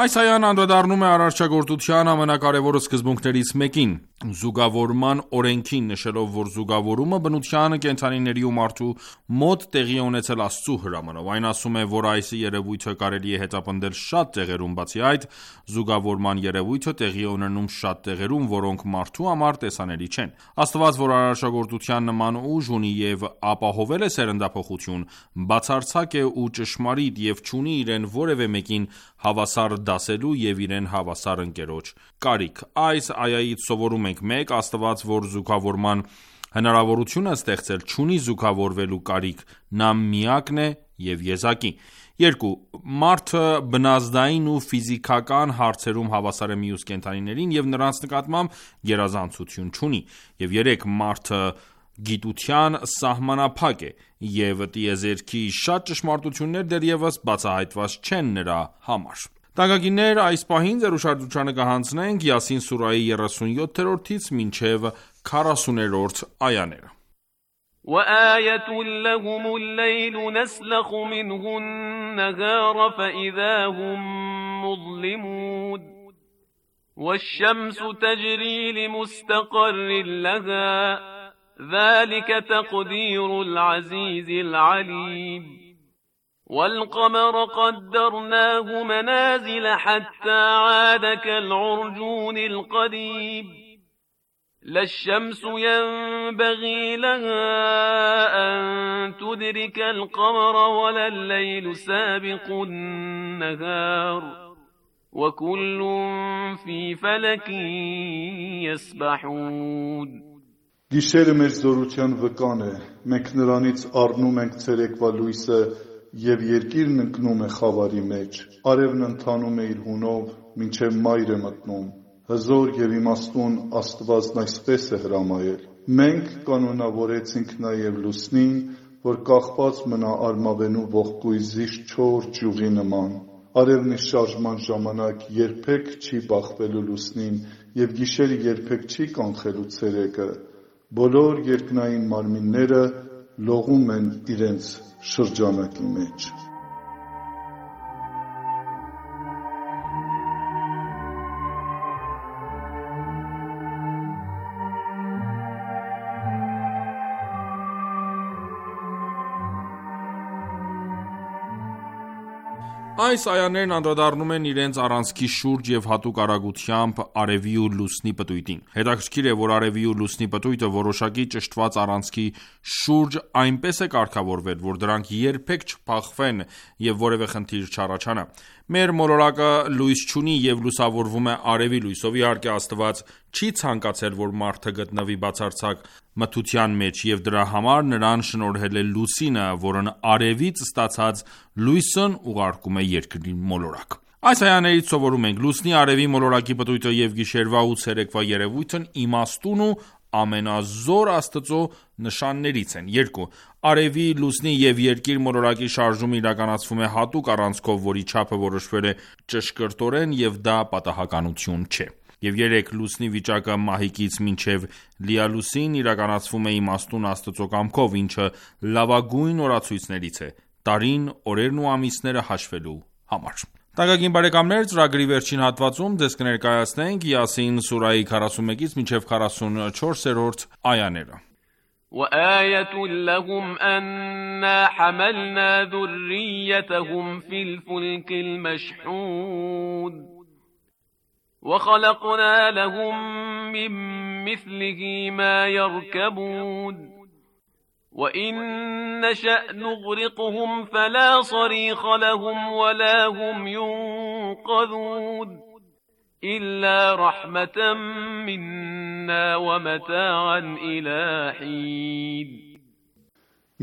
Այս այան անդրադառնում է արարչագործության ամենակարևոր սկզբունքներից մեկին՝ զուգավորման օրենքին, նշելով, որ զուգավորումը բնության, կենդանիների ու մարդու մոտ տեղի է ունեցել Աստծու հրամանով։ Այն ասում է, որ այս երևույթը կարելի է հետապնդել շատ տեղերում, բացի այդ, զուգավորման երևույթը տեղի է ունենում շատ տեղերում, որոնք մարդու համար տեսանելի չեն։ Աստված, որ արարչագործության նման ուժ ունի և ապահովել է սերնդափոխություն, բացարձակ է ու ճշմարիտ և չունի իրեն որևէ մեկին հավասար դասելու և իրեն հավասար ընկերոջ կարիք։ Այս այայից սովորում ենք. մեկ. Աստված, որ զուգավորման հնարավորություն է ստեղծել, չունի զուգավորվելու կարիք, նա միակն է և եզակի։ երկու. Մարդը բնազդային ու ֆիզիկական հարցերում հավասար է մյուս կենդանիներին և նրանց նկատմամբ գերազանցություն չունի։ Եվ երեք. Մարդը գիտության սահմանափակ է, և տիեզերքի շատ ճշմարտություններ դեռևս բացահայտված չեն նրա համար։ Տանկագիններ, այս պահին ձեր ուշադրությանը կհանձնենք Յասին սուրայի երեսունյոթերորդից մինչև քառասուներորդ այաները։ وآية لهم الليل نسلخ منه النهار فإذا هم مظلمون والشمس تجري لمستقر لها ذلك تقدير العزيز العليم والقمر قدرناه منازل حتى عاد كالعرجون القديم لا الشمس ينبغي لها أن تدرك القمر ولا الليل سابق النهار وكل في فلك يسبحون Գիշերը մեր զորության վկան է, մենք նրանից առնում ենք ցերեկվա լույսը և երկիրն ընկնում է խավարի մեջ, արևն ընթանում է իր հունով, մինչև մայր է մտնում, հզոր և իմաստուն Աստվածն այսպես է հրամայել։ Մենք կանոնավորեցինք նաև լուսնին, որ կախված մնա արմավենու ողկույզի չոր ճյուղի նման։ Արևն իր շարժման ժամանակ երբեք չի բախվելու լուսնին և գիշերը երբեք չի կանխելու ցերեկը։ Բոլոր երկնային մարմինները լողում են իրենց շրջանակի մեջ։ Այս այաներն անդրադառնում են իրենց առանցքի շուրջ և հատուկ արագությամբ արևի ու լուսնի պտույտին։ Հետաքրքիր է, որ արևի ու լուսնի պտույտը որոշակի ճշտված առանցքի շուրջ այնպես է կարգավորվել, որ դրանք երբեք չփախվեն և որևէ խնդիր չառաջանա։ Մեր մոլորակը լույս չունի և լուսավորվում է արևի լույսով։ Իհարկե, Աստված չի ցանկացել, որ մարդը գտնվի բացարձակ մթության մեջ, և դրա համար նրան շնորհել է լուսինը, որն արևից ստացած լույսն ուղարկում է երկրի մոլորակ։ Այս այաներից սովորում ենք. լուսնի, արևի, մոլորակի պտույտը և գիշերվա ու ցերեկվա երևույթն իմաստուն ու ամենազոր Աստծո նշաններից են։ Երկու. Արևի, լուսնի և երկիր մոլորակի շարժումը իրականացվում է հատուկ առանցքով, որի չափը որոշվել է ճշգրտորեն և դա պատահականություն չէ։ Եվ երեք. Լուսնի վիճակը մահիկից մինչև լիալուսին իրականացվում է իմաստուն Աստծո կամքով, ինչը լավագույն օրացույցներից է՝ տարին, օրերն ու ամիսները հաշվելու համար։ Թանկագին բարեկամներ, ծրագրի վերջին հատվածում ձեզ կներկայացնենք Յասին սուրահի քառասունմեկից մինչև քառասունչորսերորդ այաները։ وآية لهم أنا حملنا ذريتهم في الفلك المشحون وخلقنا لهم من مثله ما يركبون وإن نشأ نغرقهم فلا صريخ لهم ولا هم ينقذون إلا رحمة منا ومتاعا إلى حين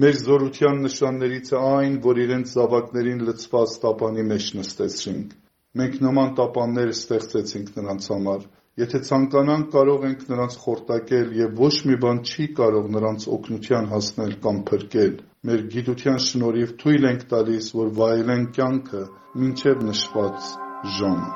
Մեր զորության նշաններից է այն, որ իրենց զավակներին լցված տապանի մեջ նստեցրինք։ Մենք նման տապաններ ստեղծեցինք նրանց համար։ Եթե ցանկանանք, կարող ենք նրանց խորտակել և ոչ մի բան չի կարող նրանց օգնության հասնել կամ փրկել։ Մեր գիտության շնորհիվ թույլ ենք տալիս, որ վայելեն կյանքը մինչև նշված ժամը։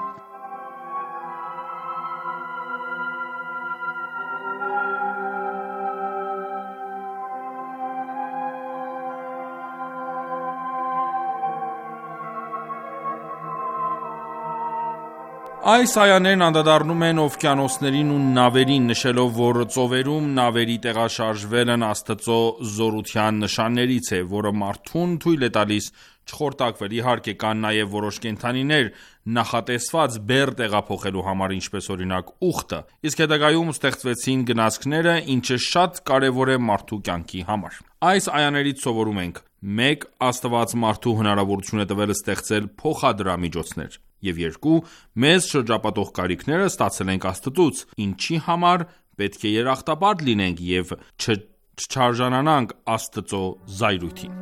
Այս այաներն անդրադառնում են օվկիանոսներին ու նավերին, նշելով, որ ծովերում նավերի տեղաշարժվելն Աստծո զորության նշաններից է, որը մարդուն թույլ է տալիս չխորտակվել։ Իհարկե, կան նաև որոշ կենդանիներ նախատեսված բեռ տեղափոխելու համար, ինչպես օրինակ ուղտը, իսկ հետագայում ստեղծվեցին գնացքները, ինչը շատ կարևոր է մարդու կյանքի համար։ Այս այաներից սովորում ենք. մեկ. Աստված մարդու հնարավորություն է տվել ստեղծել փոխադրամիջոցներ, և երկու. մեզ շրջապատող կարիքները ստացել ենք Աստծուց, ինչի համար պետք է երախտապարտ լինենք և չչարժանանանք Աստծո զայրույթին։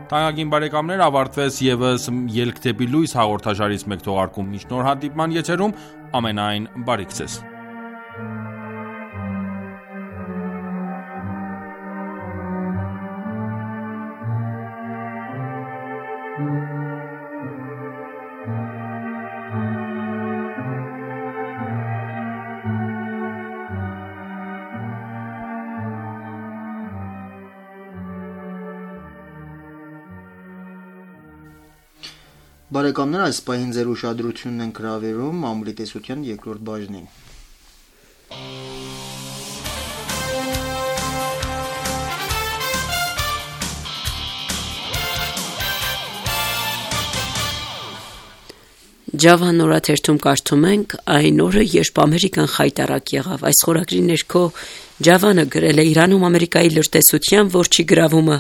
Թանկագին բարեկամներ, ավարտվեց ևս «Ելք դեպի լույս» հաղորդաշարից մեկ թողարկում։ Մինչ նոր հանդիպման եթերում ամենայն բարիք ձեզ։ Բարեկամներ, այս պահին ձեր ուշադրությունն են գրավերում մամուլի տեսության երկրորդ բաժնին։ Ջավան օրաթերթում կարդում ենք այն օրը, երբ Ամերիկան խայտառակ եղավ։ Այս խորագրի ներքո Ջավանը գրել է Իրանում Ամերիկայի լրտեսության ողջի գրավումը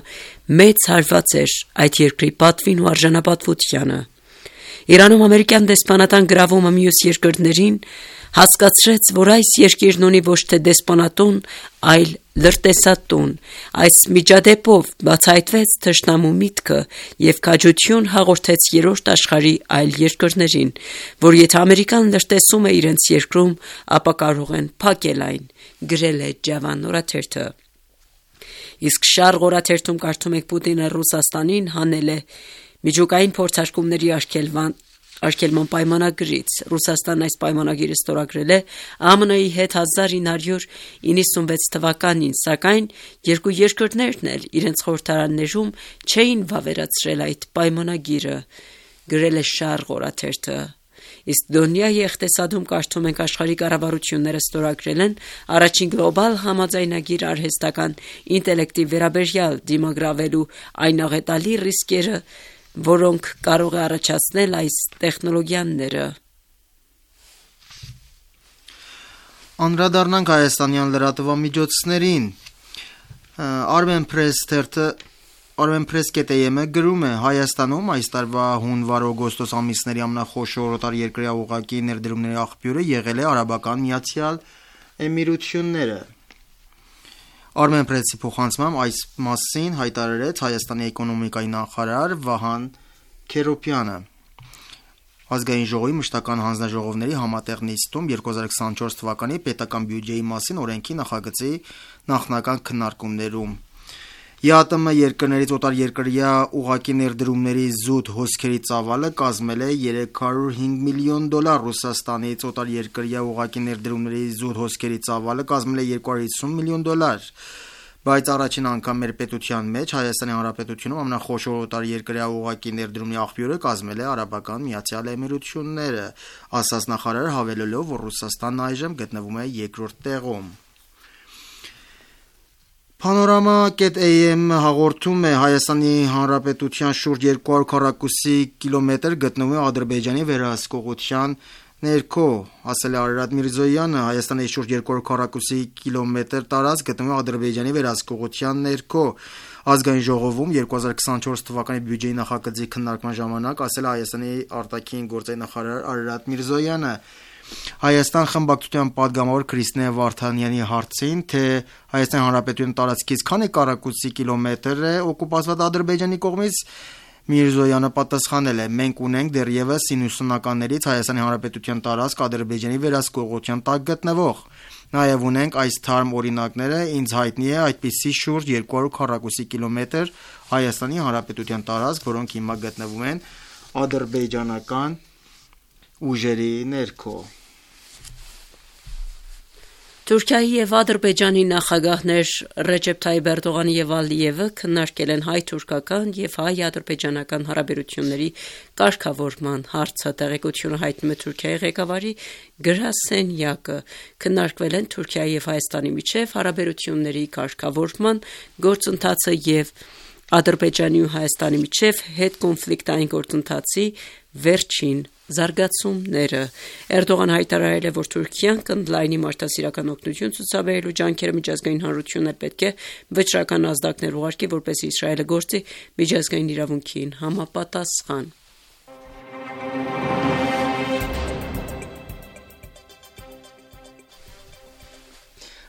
մեծ հարված էր այդ երկրի պատվին ու արժանապատվությանը։ Իրանում ամերիկյան դեսպանատան գրավումը մյուս երկրներին հասկացրեց, որ այս երկիրն ունի ոչ թե դեսպանատուն, այլ լրտեսատուն։ Այս միջադեպով բացահայտվեց թշնամու միտքը և քաջություն հաղորդեց երրորդ աշխարհի այլ երկրներին, որ եթե Ամերիկան լրտեսում է իրենց երկրում, ապա կարող են փակել այն, գրել է Ջավան օրաթերթը։ Իսկ Շարղ օրաթերթում կարդում ենք Պուտինը Ռուսաստանին հանել է միջուկային փորձարկումների արգելման արգելման պայմանագրից։ Ռուսաստանն այս պայմանագիրը ստորագրել է Α M N-ի հետ հազար ինը հարյուր իննսունվեց թվականին, սակայն երկու երկրներն էլ իրենց խորհրդարաններում չէին վավերացրել այդ պայմանագիրը, գրել է Շարղ օրաթերթը։ Իսկ Դոնյայի եղտեսադում կարդում ենք աշխարհի կառավարությունները ստորագրել են առաջին գլոբալ համաձայնագիր արհեստական ինտելեկտի վերաբերյալ դիմագրավելու այն աղետալի ռիսկերը, որոնք կարող է առաջացնել այս տեխնոլոգիաները։ Անդրադառնանք հայաստանյան լրատվամիջոցներին։ Armenpress թերթը Armenpress.am-ը գրում է. Հայաստանում այս տարվա հունվար-օգոստոս ամիսների ամենախոշոր օտարերկրյա ուղղակի ներդրումների աղբյուրը եղել է Արաբական Միացյալ Էմիրությունները։ Armenpress-ի փոխանցմամբ այս մասին հայտարարեց Հայաստանի էկոնոմիկայի նախարար Վահան Քերոբյանը։ Ազգային ժողովի մշտական հանձնաժողովների համատեղ նիստում երկու հազար քսանչորս թվականի պետական բյուջեի մասին օրենքի նախագծի նախնական քննարկումներում Յ Տ M երկրներից օտարերկրյա ուղղակի ներդրումների զուտ հոսքերի ծավալը կազմել է երեք հարյուր հինգ միլիոն դոլար, Ռուսաստանից օտարերկրյա ուղղակի ներդրումների զուտ հոսքերի ծավալը կազմել է երկու հարյուր հիսուն միլիոն դոլար, բայց առաջին անգամ մեր պետության մեջ Հայաստանի Հանրապետությունում ամենախոշոր օտարերկրյա ուղղակի ներդրումի աղբյուրը կազմել է Արաբական Միացյալ Էմիրությունները, ասաց նախարարը, հավելելով, որ Ռուսաստանն այժմ գտնվում է երկրորդ տեղում։ Panorama.am հաղորդում է Հայաստանի Հանրապետության շուրջ երկու հարյուր քառակուսի կիլոմետր գտնվում է Ադրբեջանի վերահսկողության ներքո, ասել է Արարատ Միրզոյանը, Հայաստանի շուրջ երկու հարյուր քառակուսի կիլոմետր տարածք գտնվում է Ադրբեջանի վերահսկողության ներքո։ Ազգային ժողովում երկու հազար քսանչորս թվականի բյուջեի նախագծի քննարկման ժամանակ ասել է Հայաստանի արտաքին գործերի նախարար Արարատ Միրզոյանը։ Հայաստան խմբակցության падգամավոր Քրիստինե Վարդանյանի հարցին, թե Հայաստանի Հանրապետության տարածքից քանի քառակուսի կիլոմետր է օկուպացված Ադրբեջանի կողմից, Միրզոյանը պատասխանել է. մենք ունենք դեռևս իննսունականներից Հայաստանի Հանրապետության տարածք Ադրբեջանի վերահսկողության տակ գտնվող։ Նաև ունենք այս թարմ օրինակները, ինձ հայտնի է այդպիսի շուրջ երկու հարյուր քառակուսի կիլոմետր Հայաստանի Հանրապետության տարածք, որոնք հիմա գտնվում են ադրբեջանական ուժերի ներքո։ Թուրքիայի և Ադրբեջանի նախագահներ Ռեջեփ Թայիփ Էրդողանը և Ալիևը քննարկել են հայ-թուրքական և հայ-ադրբեջանական հարաբերությունների կարգավորման հարցը, տեղեկությունը հայտնում է Թուրքիայի ղեկավարի գրասենյակը։ Քննարկվել են Թուրքիայի և Հայաստանի միջև հարաբերությունների կարգավորման գործընթացը և Ադրբեջանի ու Հայաստանի միջև հետկոնֆլիկտային գործընթացի վերջին զարգացումները։ Էրդողանը հայտարարել է, որ Թուրքիան կընդլայնի մարդասիրական օգնություն ցուցաբերելու ջանքերը, միջազգային հանրությունն էլ պետք է վճռական ազդակներ ուղարկի, որպեսզի Իսրայելը գործի միջազգային իրավունքին համապատասխան։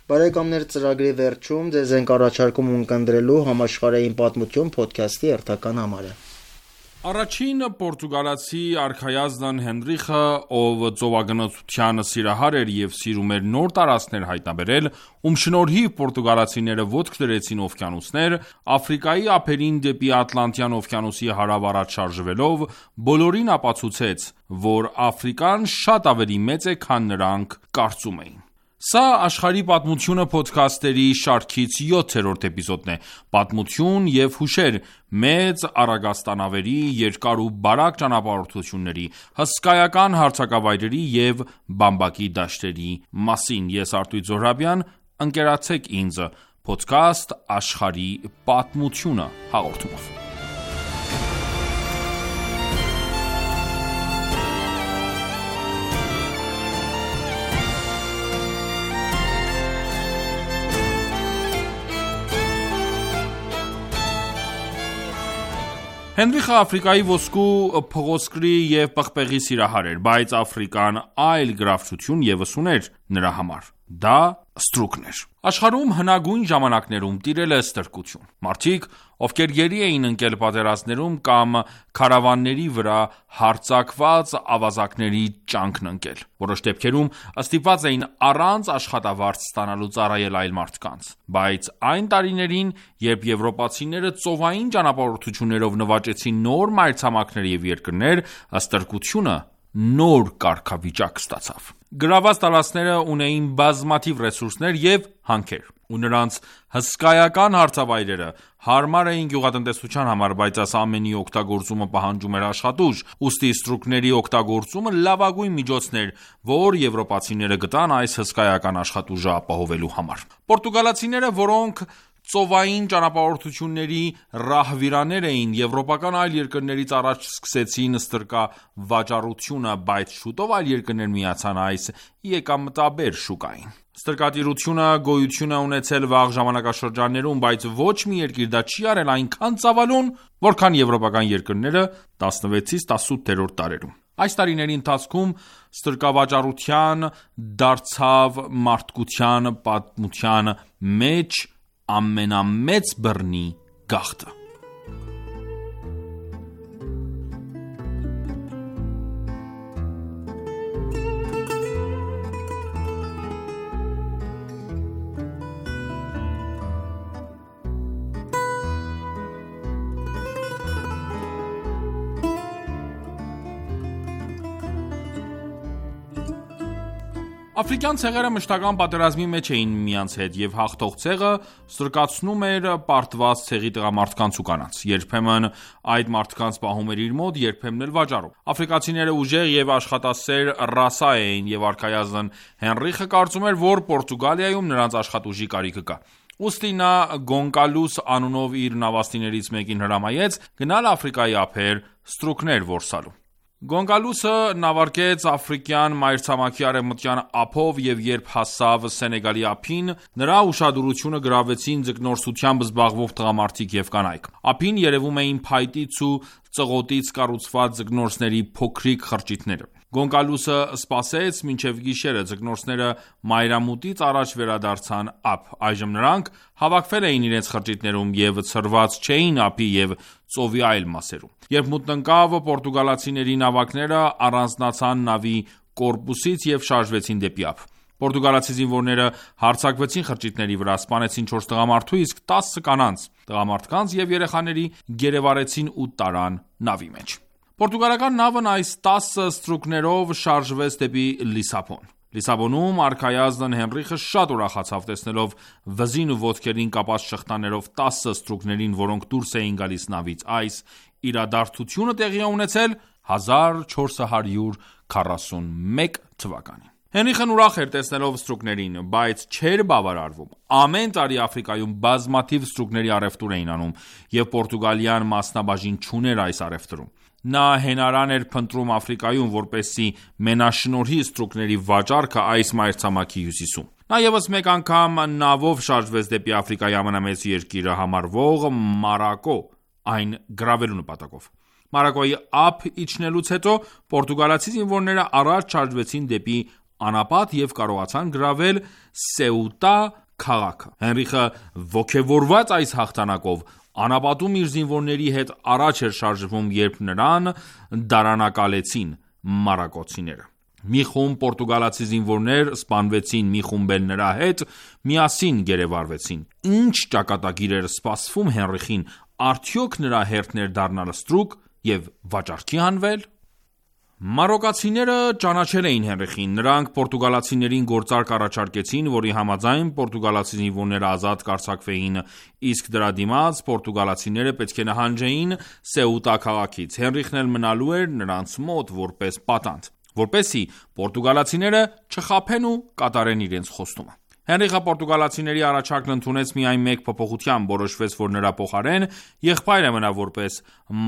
Բարեկամներ, ծրագրի վերջում ձեզ ենք առաջարկում ունկնդրելու համաշխարհային պատմություն փոդքասթի հերթական համարը։ Առաջին պորտուգալացի արքայազն Հենրիխը, ով ծովագնացության սիրահար էր եւ սիրում էր նոր տարածքներ հայտնաբերել, ում շնորհիվ պորտուգալացիները ոտք դրեցին օվկիանոսներ, Աֆրիկայի ափերին դեպի Ատլանտյան օվկիանոսի հարավ առաջ շարժվելով, բոլորին ապացուցեց, որ Աֆրիկան շատ ավելի մեծ է, քան նրանք կարծում էին։ Սա աշխարհի պատմությունը փոդքասթերի շարքից յոթերորդ էպիզոդն է։ Պատմություն եւ հուշեր մեծ առագաստանավերի, երկար ու բարակ ճանապարհորդությունների, հսկայական հարթակավայրերի եւ բամբակի դաշտերի մասին։ Ես Արտույտ Զոհրաբյան, ընկերակցեք ինձ Փոդքասթ աշխարհի պատմությունը հաղորդումով։ Հենրիխը Աֆրիկայի ոսկու, փղոսկրի և պղպեղի սիրահար էր, բայց Աֆրիկան այլ գրավչություն ևս ուներ նրա համար։ Դա ստրուկն էր։ Աշխարհում հնագույն ժամանակներում տիրել է ստրկություն։ Մարդիկ, ովքեր գերի էին ընկել պատերազմներում կամ քարավանների վրա հարձակված ավազակների ճանկն ընկել։ Որոշ դեպքերում ստիպված էին առանց աշխատավարձ ստանալու ծառայել այլ մարդկանց։ Բայց այն տարիներին, երբ եվրոպացիները ծովային ճանապարհորդություններով նվաճեցին նոր մայրցամաքներ և երկրներ, ստրկությունը նոր կարգավիճակ ստացավ։ Գրաված տարածքները ունեին բազմաթիվ ռեսուրսներ և հանքեր, ու նրանց հսկայական հարթավայրերը հարմար էին գյուղատնտեսության համար, բայց այս ամենի օգտագործումը պահանջում էր աշխատուժ, ուստի ստրուկների օգտագործումը լավագույն միջոցն էր, որ եվրոպացիները գտան այս հսկայական աշխատուժը ապահովելու համար։ Պորտուգալացիները, որոնք ծովային ճանապարհորդությունների ռահվիրաներ էին, եվրոպական այլ երկրներից առաջ սկսեցին ստրկավաճառությունը, բայց շուտով այլ երկրներ միացան այս եկամտաբեր շուկային։ Ստրկատիրությունը գոյություն է ունեցել վաղ ժամանակաշրջաններում, բայց ոչ մի երկիր դա չի արել այնքան ծավալուն, որքան եվրոպական երկրները տասնվեցից տասնութերորդ դարերում։ Այս տարիների ընթացքում ստրկավաճառության դարձավ մարդկության պատմության մեջ ամենամեծ բռնի գաղթը։ Աֆրիկյան ցեղերը մշտական պատերազմի մեջ էին միմյանց հետ, և հաղթող ցեղը ստրկացնում էր պարտված ցեղի տղամարդկանց ու կանանց։ Երբեմն այդ մարդկանց պահում էր իր մոտ, երբեմն էլ վաճառում։ Աֆրիկացիները ուժեղ և աշխատասեր ռասա էին, և արքայազն Հենրիխը կարծում էր, որ Պորտուգալիայում նրանց աշխատուժի կարիքը կա։ Ուստի նա Գոնկալուս անունով իր նավաստիներից մեկին հրամայեց գնալ Աֆրիկայի ափեր ստրուկներ որսալու։ Գոնկալուսը նավարկեց աֆրիկյան մայրցամաքի արևմտյան ափով և երբ հասավ Սենեգալի ափին, նրա ուշադրությունը գրավեցին ձկնորսությամբ զբաղվող տղամարդիկ և կանայք։ Ափին երևում էին փայտից ու ծղոտից կառուցված ձկնորսների փոքրիկ խրճիթները։ Գոնկալուսը սպասեց մինչև գիշերը, ձկնորսները մայրամուտից առաջ վերադարձան ափ։ Այժմ նրանք հավաքվել էին իրենց խրճիթներում և ցրված չէին ափի և ծովի այլ մասերում։ Երբ մութն ընկավ, պորտուգալացիների նավակները առանձնացան նավի կորպուսից և շարժվեցին դեպի ափ։ Պորտուգալացի զինվորները հարձակվեցին խրճիթների վրա, սպանեցին չորս տղամարդու, իսկ տասը կանանց, տղամարդկանց և երեխաների գերեվարեցին ու տարան նավի մեջ։ Պորտուգալական նավն այս տասը ստրուկներով շարժվեց դեպի Լիսաբոն։ Լիսաբոնում արքայազն Հենրիխը շատ ուրախացավ տեսնելով վզին ու ոտքերին կապած շղթաներով տասը ստրուկներին, որոնք դուրս էին գալիս նավից։ Այս իրադարձությունը տեղի է ունեցել հազար չորս հարյուր քառասունմեկ թվականին։ Հենրիխն ուրախ էր տեսնելով ստրուկներին, բայց չէր բավարարվում։ Ամեն տարի Աֆրիկայում բազմաթիվ ստրուկների առևտուր էին անում, և Պորտուգալիան մասնաբաժին չուներ այս առևտրում։ Նա հենարան էր փնտրում Աֆրիկայում, որպեսզի մենաշնորհի ստրուկների վաճառքը այս մայրցամաքի հյուսիսում։ Նա ևս մեկ անգամ նավով շարժվեց դեպի Աֆրիկայի ամենամեծ երկիրը համարվող Մարոկկո, այն գրավելու նպատակով։ Մարոկկոյի ափ իջնելուց հետո պորտուգալացի զինվորները առաջ շարժվեցին դեպի անապատ և կարողացան գրավել Սեուտա քաղաքը։ Հենրիխը ոգևորված այս հաղթանակով անապատում իր զինվորների հետ առաջ էր շարժվում, երբ նրան դարանակալեցին մարոկկացիները։ Մի խումբ պորտուգալացի զինվորներ սպանվեցին, մի խումբ էլ նրա հետ միասին գերեվարվեցին։ Ինչ ճակատագիր էր սպասվում Հենրիխին, արդյոք նրա հերթն էր դառնալ ստրուկ և վաճառքի հանվել։ Մարոկացիները ճանաչել էին Հենրիխին, նրանք պորտուգալացիներին գործարք առաջարկեցին, որի համաձայն պորտուգալացի զինվորները ազատ կարձակվեին, իսկ դրա դիմաց պորտուգալացիները պետք է նահանջեին Սեուտա քաղաքից, Հենրիխն էլ մնալու էր նրանց մոտ որպես պատանդ, որպեսզի պորտուգալացիները չխաբեն ու կատարեն իրենց խոստումը։ Հենրիխը պորտուգալացիների առաջարկն ընդունեց միայն մեկ փոփոխությամբ, որոշվեց, որ նրա փոխարեն եղբայրը մնա որպես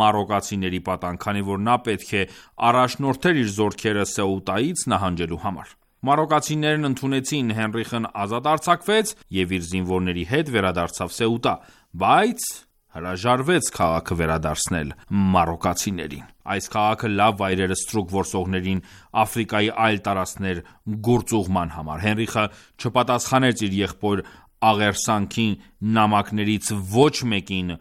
մարոկացիների պատանդ, քանի որ նա պետք է առաջնորդեր իր զորքերը Սեուտայից նահանջելու համար։ Մարոկացիներն ընդունեցին, Հենրիխն ազատ արձակվեց և իր զինվորների հետ վերադարձավ Սեուտա, բայց հրաժարվեց քաղաքը վերադարձնել մարոկացիներին։ Այս քաղաքը լավ վայր էր ստրուկ որսողներին Աֆրիկայի այլ տարածքներ գործուղման համար։ Հենրիխը չպատասխանեց իր եղբոր աղերսանքի նամակներից ոչ մեկին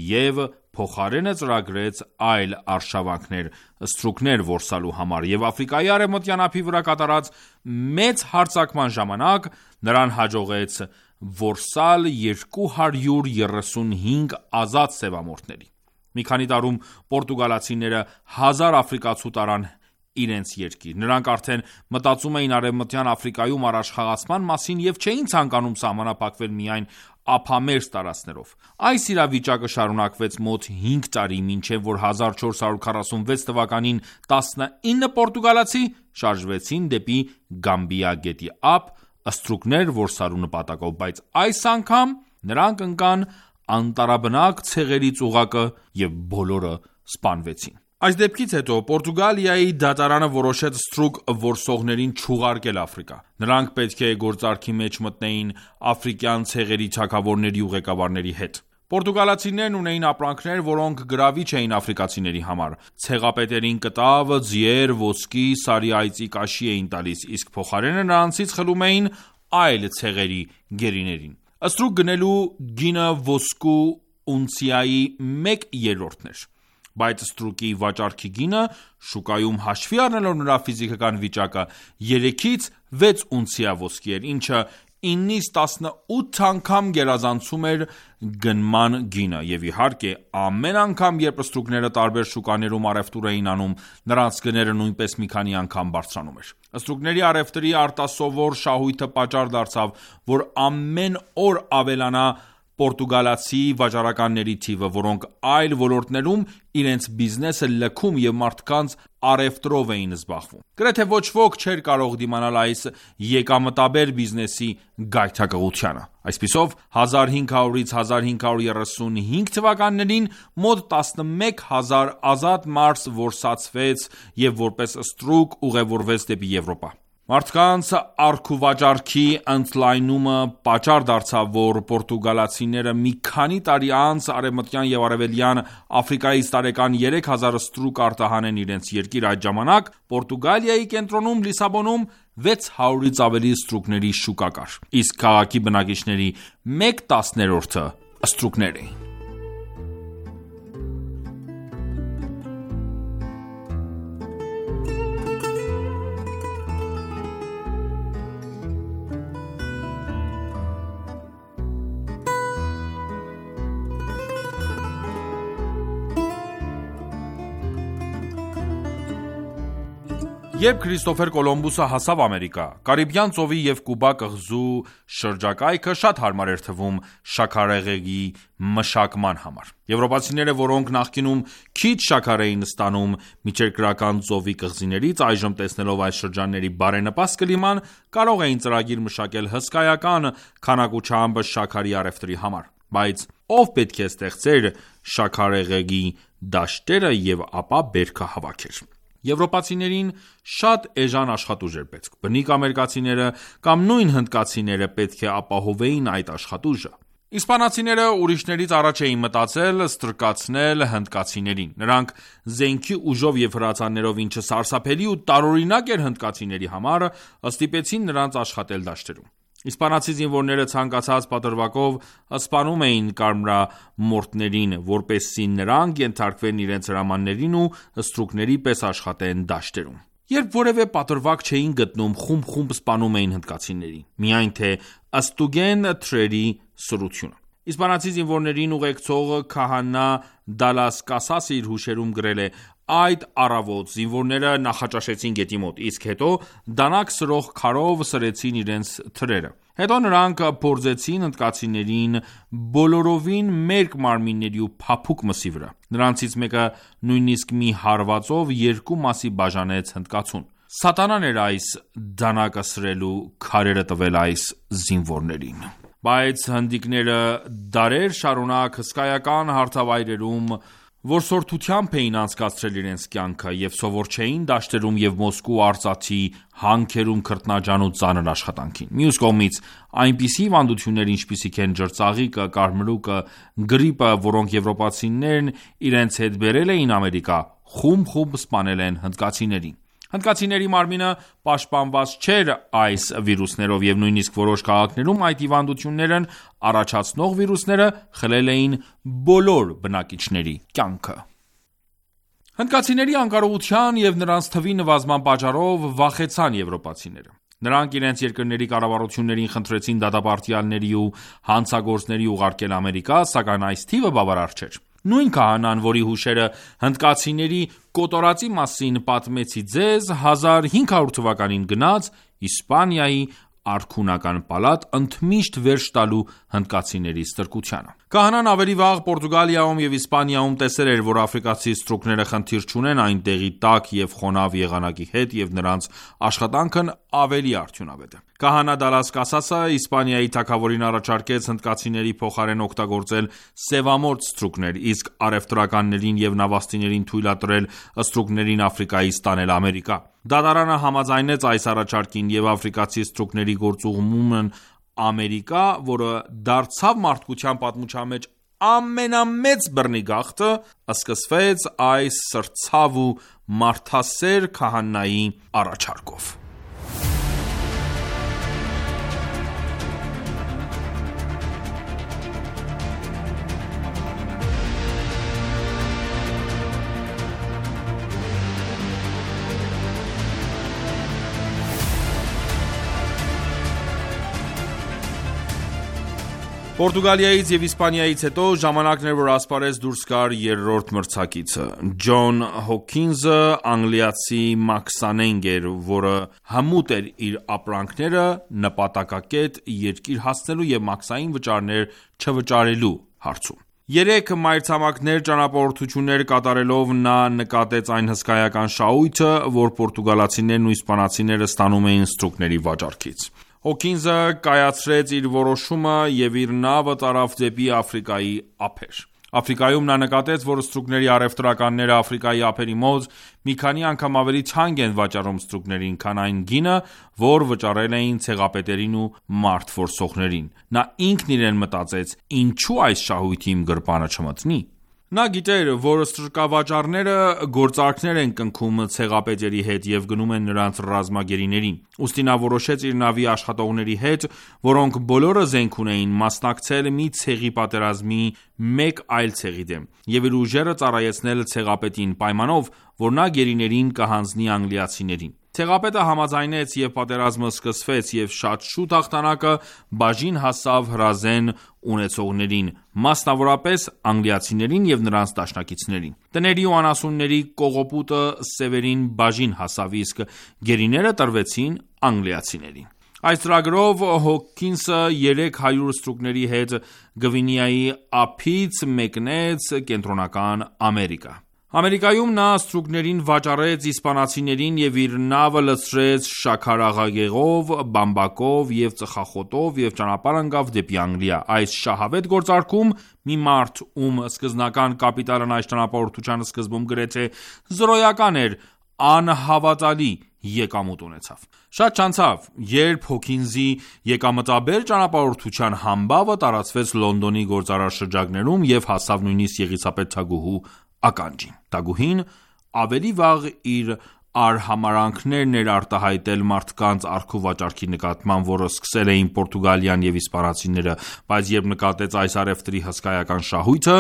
և փոխարենը ծրագրեց այլ արշավանքներ ստրուկներ որսալու համար, և Աֆրիկայի արևմտյան ափի վրա կատարած մեծ հարձակման ժամանակ նրան հաջողեց որսալ երկու հարյուր երեսունհինգ ազատ սևամորթների։ Մի քանի տարում պորտուգալացիները հազար աֆրիկացու տարան իրենց երկիր։ Նրանք արդեն մտածում էին Արևմտյան Աֆրիկայում առաջխաղացման մասին և չէին ցանկանում սահմանափակվել միայն ափամերձ տարածքներով։ Այս իրավիճակը շարունակվեց մոտ հինգ տարի, մինչև որ հազար չորս հարյուր քառասունվեց թվականին տասնինը պորտուգալացի շարժվեցին դեպի Գամբիա գետի ափ ստրուկներ որսալու նպատակով, բայց այս անգամ նրանք ընկան անտառաբնակ ցեղերի ծուղակը և բոլորը սպանվեցին։ Այս դեպքից հետո Պորտուգալիայի դատարանը որոշեց ստրուկ որսողներին չուղարկել Աֆրիկա։ Նրանք պետք է գործարքի մեջ մտնեին աֆրիկյան ցեղերի թագավորների ու ղեկավարների հետ։ Պորտուգալացիներն ունեին ապրանքներ, որոնք գրավիչ էին աֆրիկացիների համար։ Ցեղապետերին կտավ, ձիեր, ոսկի, սարի այծի կաշի էին տալիս, իսկ փոխարենը նրանցից խլում էին այլ ցեղերի գերիներին։ Ստրուկ գնելու գինը ոսկու ունցիայի մեկ երրորդն էր, բայց ստրուկի վաճառքի գինը շուկայում հաշվի առնելով նրա ֆիզիկական վիճակը երեքից վեց ունցիա ոսկի էր, ինչը իննից տասնութ անգամ գերազանցում էր գնման գինը, և իհարկե ամեն անգամ, երբ ստրուկները տարբեր շուկաներում առևտուր էին անում, նրանց գները նույնպես մի քանի անգամ բարձրանում էր։ Ստրուկների առևտրի արտասովոր շահույթը պատճառ դարձավ, որ ամեն օր ավելանա պորտուգալացի վաճառականների թիվը, որոնք այլ ոլորտներում իրենց բիզնեսը լքում և մարդկանց առևտրով էին զբաղվում։ Գրեթե ոչ ոք չէր կարող դիմանալ այս եկամտաբեր բիզնեսի գայթակղությանը։ Այսպիսով, հազար հինգ հարյուրից հազար հինգ հարյուր երեսունհինգ թվականներին մոտ տասնմեկ հազար ազատ մարդ որսացվեց և որպես ստրուկ ուղևորվեց դեպի Եվրոպա։ Մարդկանց առքուվաճառքի ընդլայնումը պատճառ դարձավ, որ պորտուգալացիները մի քանի տարի անց արևմտյան և արևելյան Աֆրիկայից տարեկան երեք հազար ստրուկ արտահանեն իրենց երկիր։ Այդ ժամանակ Պորտուգալիայի կենտրոնում Լիսաբոնում վեց հարյուրից ավելի ստրուկների շուկա կար, իսկ քաղաքի բնակիչների մեկ տասներորդը ստրուկներ էին։ Երբ Քրիստոֆեր Կոլումբոսը հասավ Ամերիկա, Կարիբյան ծովի և Կուբա կղզու շրջակայքը շատ հարմար էր թվում շաքարեղեգի մշակման համար։ Եվրոպացիները, որոնք նախկինում քիչ շաքար էին ստանում Միջերկրական ծովի կղզիներից, այժմ տեսնելով այս շրջանների բարենպաստ կլիման, կարող էին ծրագիր մշակել հսկայական քանակությամբ շաքարի առևտրի համար։ Բայց ով պետք է ստեղծեր շաքարեղեգի դաշտերը և ապա բերքը հավաքեր։ Եվրոպացիներին շատ էժան աշխատուժ էր պետք։ Բնիկ ամերիկացիները կամ նույն հնդկացիները պետք է ապահովեին այդ աշխատուժը։ Իսպանացիները ուրիշներից առաջ էին մտածել ստրկացնել հնդկացիներին։ Նրանք զենքի ուժով և հրացաններով, ինչը սարսափելի ու տարօրինակ էր հնդկացիների համար, ստիպեցին նրանց աշխատել դաշտերում։ Իսպանացի զինվորները ցանկացած պատրվակով սպանում էին կարմրամորթներին, որպեսզի նրանք ենթարկվեն իրենց հրամաններին ու ստրուկների պես աշխատեն դաշտերում։ Երբ որևէ պատրվակ չէին գտնում, խումբ-խումբ սպանում էին հնդկացիներին, միայն թե ստուգեն թրերի սրությունը։ Իսպանացի զինվորներին ուղեկցող քահանա Դալաս Կասասը իր հուշերում գրել է. «Այդ առավոտ զինվորները նախաճաշեցին գետի մոտ, իսկ հետո դանակ սրող քարով սրեցին իրենց թրերը։ Հետո նրանք փորձեցին հնդկացիներին բոլորովին մերկ մարմինների ու փափուկ մսի վրա։ Նրանցից մեկը նույնիսկ մի հարվածով երկու մասի բաժանեց հնդկացուն։ Սատանան էր այս դանակը սրելու քարերը տվել այս զինվորներին»։ Բայց հնդիկները դարեր շարունակ հսկայական հարթավայրերում որսորդությամբ էին անցկացրել իրենց կյանքը և սովոր չէին դաշտերում և Մոսկու արծաթի հանքերում քրտնաջան ու ծանր աշխատանքին։ Մյուս կողմից, այնպիսի հիվանդություններ, ինչպիսիք են ջրծաղիկը, կարմրուկը, գրիպը, որոնք եվրոպացիներն իրենց հետ բերել էին Ամերիկա, խումբ-խումբ սպանել են հնդկացիներին։ Հնդկացիների մարմինը պաշտպանված չէր այս վիրուսներով և նույնիսկ որոշ քաղաքներում այդ հիվանդություններն առաջացնող վիրուսները խլել էին բոլոր բնակիչների կյանքը։ Հնդկացիների անկարողության և նրանց թվի նվազման պատճառով վախեցան եվրոպացիները։ Նրանք իրենց երկրների կառավարություններին խնդրեցին դատապարտյալների ու հանցագործների ուղարկել Ամերիկա, սակայն այս թիվը բավարար չէր։ Նույն քահանան, որի հուշերը հնդկացիների կոտորածի մասին պատմեցի ձեզ, հազար հինգ հարյուր թվականին գնաց Իսպանիայի արքունական պալատ ընդմիշտ վերջ տալու հնդկացիների ստրկությանը։ Քահանան ավելի վաղ Պորտուգալիայում և Իսպանիայում տեսել էր, որ աֆրիկացի ստրուկները խնդիր չունեն այնտեղի տաք և խոնավ եղանակի հետ և նրանց աշխատանքն ավելի արդյունավետ է։ Քահանա Դալաս Կասասը Իսպանիայի թագավորին առաջարկեց հնդկացիների փոխարեն օգտագործել սևամորթ ստրուկներ, իսկ առևտրականներին և նավաստիներին թույլատրել ստրուկներին Աֆրիկայից տանել Ամերիկա։ Դատարանը համաձայնեց այս առաջարկին և աֆրիկացի ստրուկների գործուղումն Ամերիկա, որը դարձավ մարդկության պատմության մեջ ամենամեծ բռնի գաղթը, սկսվեց այս սրտցավ ու մարդասեր քահանայի առաջարկով։ Պորտուգալիայից և Իսպանիայից հետո ժամանակն էր, որ ասպարեզ դուրս գար երրորդ մրցակիցը։ Ջոն Հոքինսը անգլիացի մաքսանենգ էր, որը հմուտ էր իր ապրանքները նպատակակետ երկիր հասցնելու և մաքսային վճարներ չվճարելու հարցում։ Երեք մայրցամաքներ ճանապարհորդություններ կատարելով նա նկատեց այն հսկայական շահույթը, որ պորտուգալացիներն ու իսպանացիները ստանում էին ստրուկների վաճառքից։ Հոքինսը կայացրեց իր որոշումը և իր նավը տարավ դեպի Աֆրիկայի ափեր։ Աֆրիկայում նա նկատեց, որ ստրուկների առևտրականները Աֆրիկայի ափերի մոտ մի քանի անգամ ավելի թանկ են վաճառում ստրուկներին, քան այն գինը, որ վճարել էին ցեղապետերին ու մարդ որսողներին։ Նա ինքն իրեն մտածեց. «Ինչու այս շահույթը իմ գրպանը չմտնի»։ Նա գիտեր, որ ստրկավաճառները գործարքներ են կնքում ցեղապետերի հետ և գնում են նրանց ռազմագերիներին։ Ուստի նա որոշեց իր նավի աշխատողների հետ, որոնք բոլորը զենք ունեին, մասնակցել մի ցեղի պատերազմի մեկ այլ ցեղի դեմ և իր ուժերը ծառայեցնել ցեղապետին, պայմանով, որ նա գերիներին կհանձնի անգլիացիներին։ Ցեղապետը համաձայնեց և պատերազմը սկսվեց, և շատ շուտ հաղթանակը բաժին հասավ հրազեն ունեցողներին, մասնավորապես անգլիացիներին և նրանց դաշնակիցներին։ Տների ու անասունների կողոպուտը սևերին բաժին հասավ, իսկ գերիները տրվեցին անգլիացիներին։ Այս ծրագրով Հոքինսը երեք հարյուր ստրուկների հետ Գվինեայի ափից մեկնեց Կենտրոնական Ամերիկա։ Ամերիկայում նա ստրուկներին վաճառեց իսպանացիներին և իր նավը լցրեց շաքարեղեգով, բամբակով և ծխախոտով և ճանապարհ ընկավ դեպի Անգլիա։ Այս շահավետ գործարքում մի մարդ, ում սկզբնական կապիտալն այս ճանապարհորդության սկզբում գրեթե զրոյական էր, անհավատալի եկամուտ ունեցավ։ Շատ չանցավ, երբ Հոքինսի եկամտաբեր ճանապարհորդության համբավը տարածվեց Լոնդոնի գործարար շրջաններում և հասավ նույնիսկ Եղիսաբեթ թագուհու ականջին։ Թագուհին ավելի վաղ իր արհամարհանքներն էր արտահայտել մարդկանց առքուվաճառքի նկատմամբ, որը սկսել էին Պորտուգալիան և իսպանացիները, բայց երբ նկատեց այս առևտրի հսկայական շահույթը,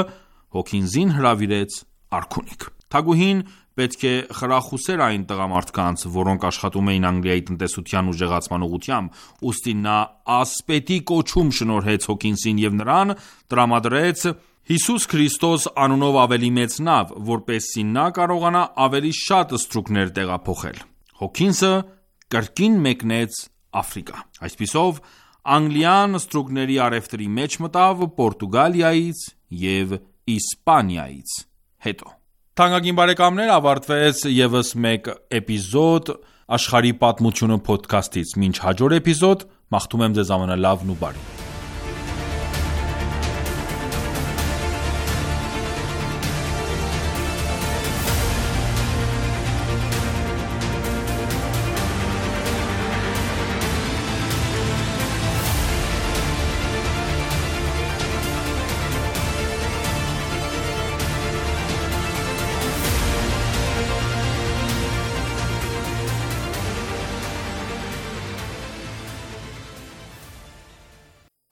Հոքինսին հրավիրեց արքունիք։ Թագուհին պետք է խրախուսեր այն տղամարդկանց, որոնք աշխատում էին Անգլիայի տնտեսության ուժեղացման ուղղությամբ, ուստի նա ասպետի կոչում շնորհեց Հոքինսին և նրան տրամադրեց Հիսուս Քրիստոս անունով ավելի մեծ նավ, որպեսզի նա կարողանա ավելի շատ ստրուկներ տեղափոխել։ Հոքինսը կրկին մեկնեց Աֆրիկա։ Այսպիսով Անգլիան ստրուկների առևտրի մեջ մտավ Պորտուգալիայից և Իսպանիայից հետո։ Թանկագին բարեկամներ, ավարտվեց ևս մեկ էպիզոդ Աշխարհի պատմությունը փոդքասթից։ Մինչ հաջորդ էպիզոդ, մաղթում եմ ձեզ ամենալավն ու բարին։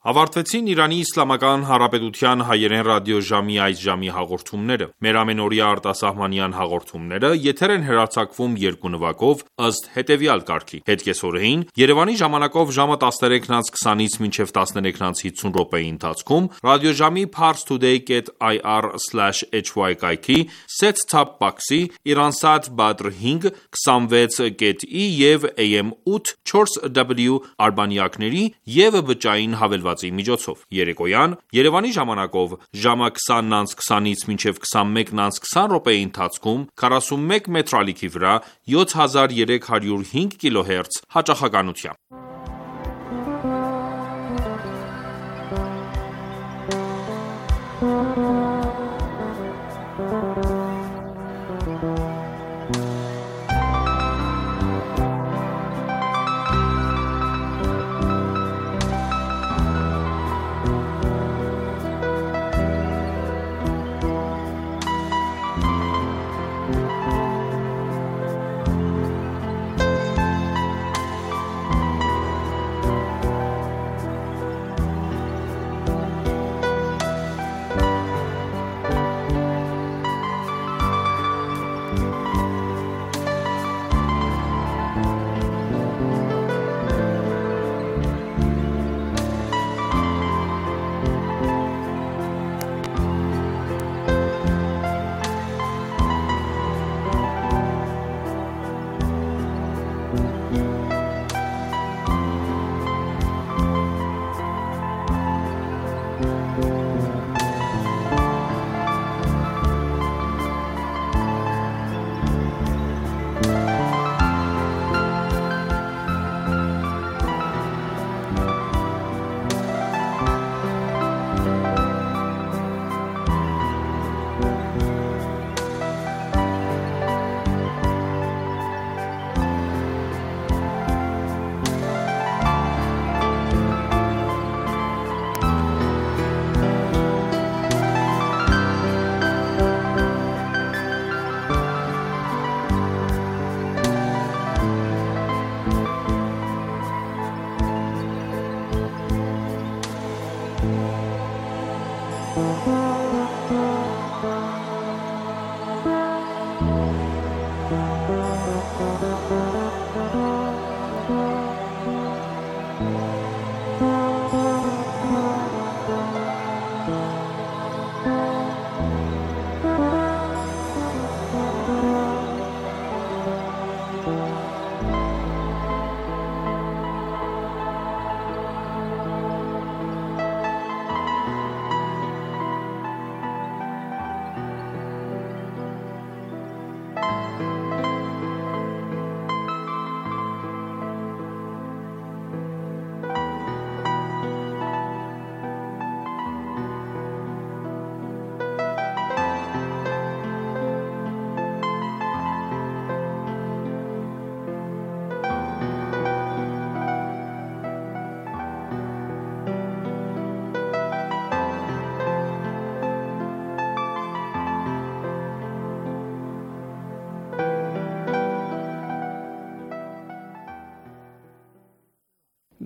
Ավարտվեցին Իրանի Իսլամական Հանրապետության հայերեն ռադիոժամի այս ժամի հաղորդումները։ Մեր ամենօրյա արտասահմանյան հաղորդումները եթեր են հեռարձակվում երկու նվագով ըստ հետևյալ կարգի. Հետկեսօրեին Երևանի ժամանակով ժամը տասներեքն անց քսանից մինչև տասներեքն անց հիսուն րոպեի ընթացքում ռադիոժամի parstoday dot i r slash h y կայքի set-top box-ի Iransat Badr հինգ քսանվեց կետ ի և A M ութ չորս W արբանյակների և բջջային հավելվածի միջոցով։ Երեկոյան Երևանի ժամանակով ժամը քսանն անց քսանից մինչև քսանմեկն անց քսան րոպեի ընթացքում քառասունմեկ մետր ալիքի վրա յոթ հազար երեք հարյուր հինգ կիլոհերց հաճախականությամբ։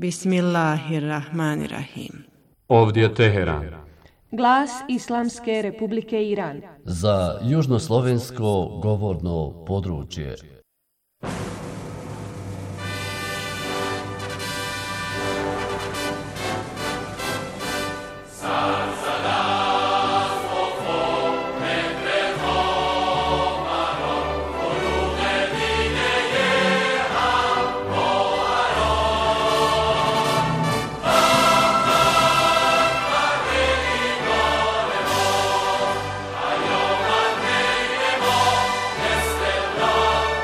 Bismillahirrahmanirrahim. Ով դե Տեհերան, Glas Islamske Republike Iran. Za južnoslovensko govorno područje.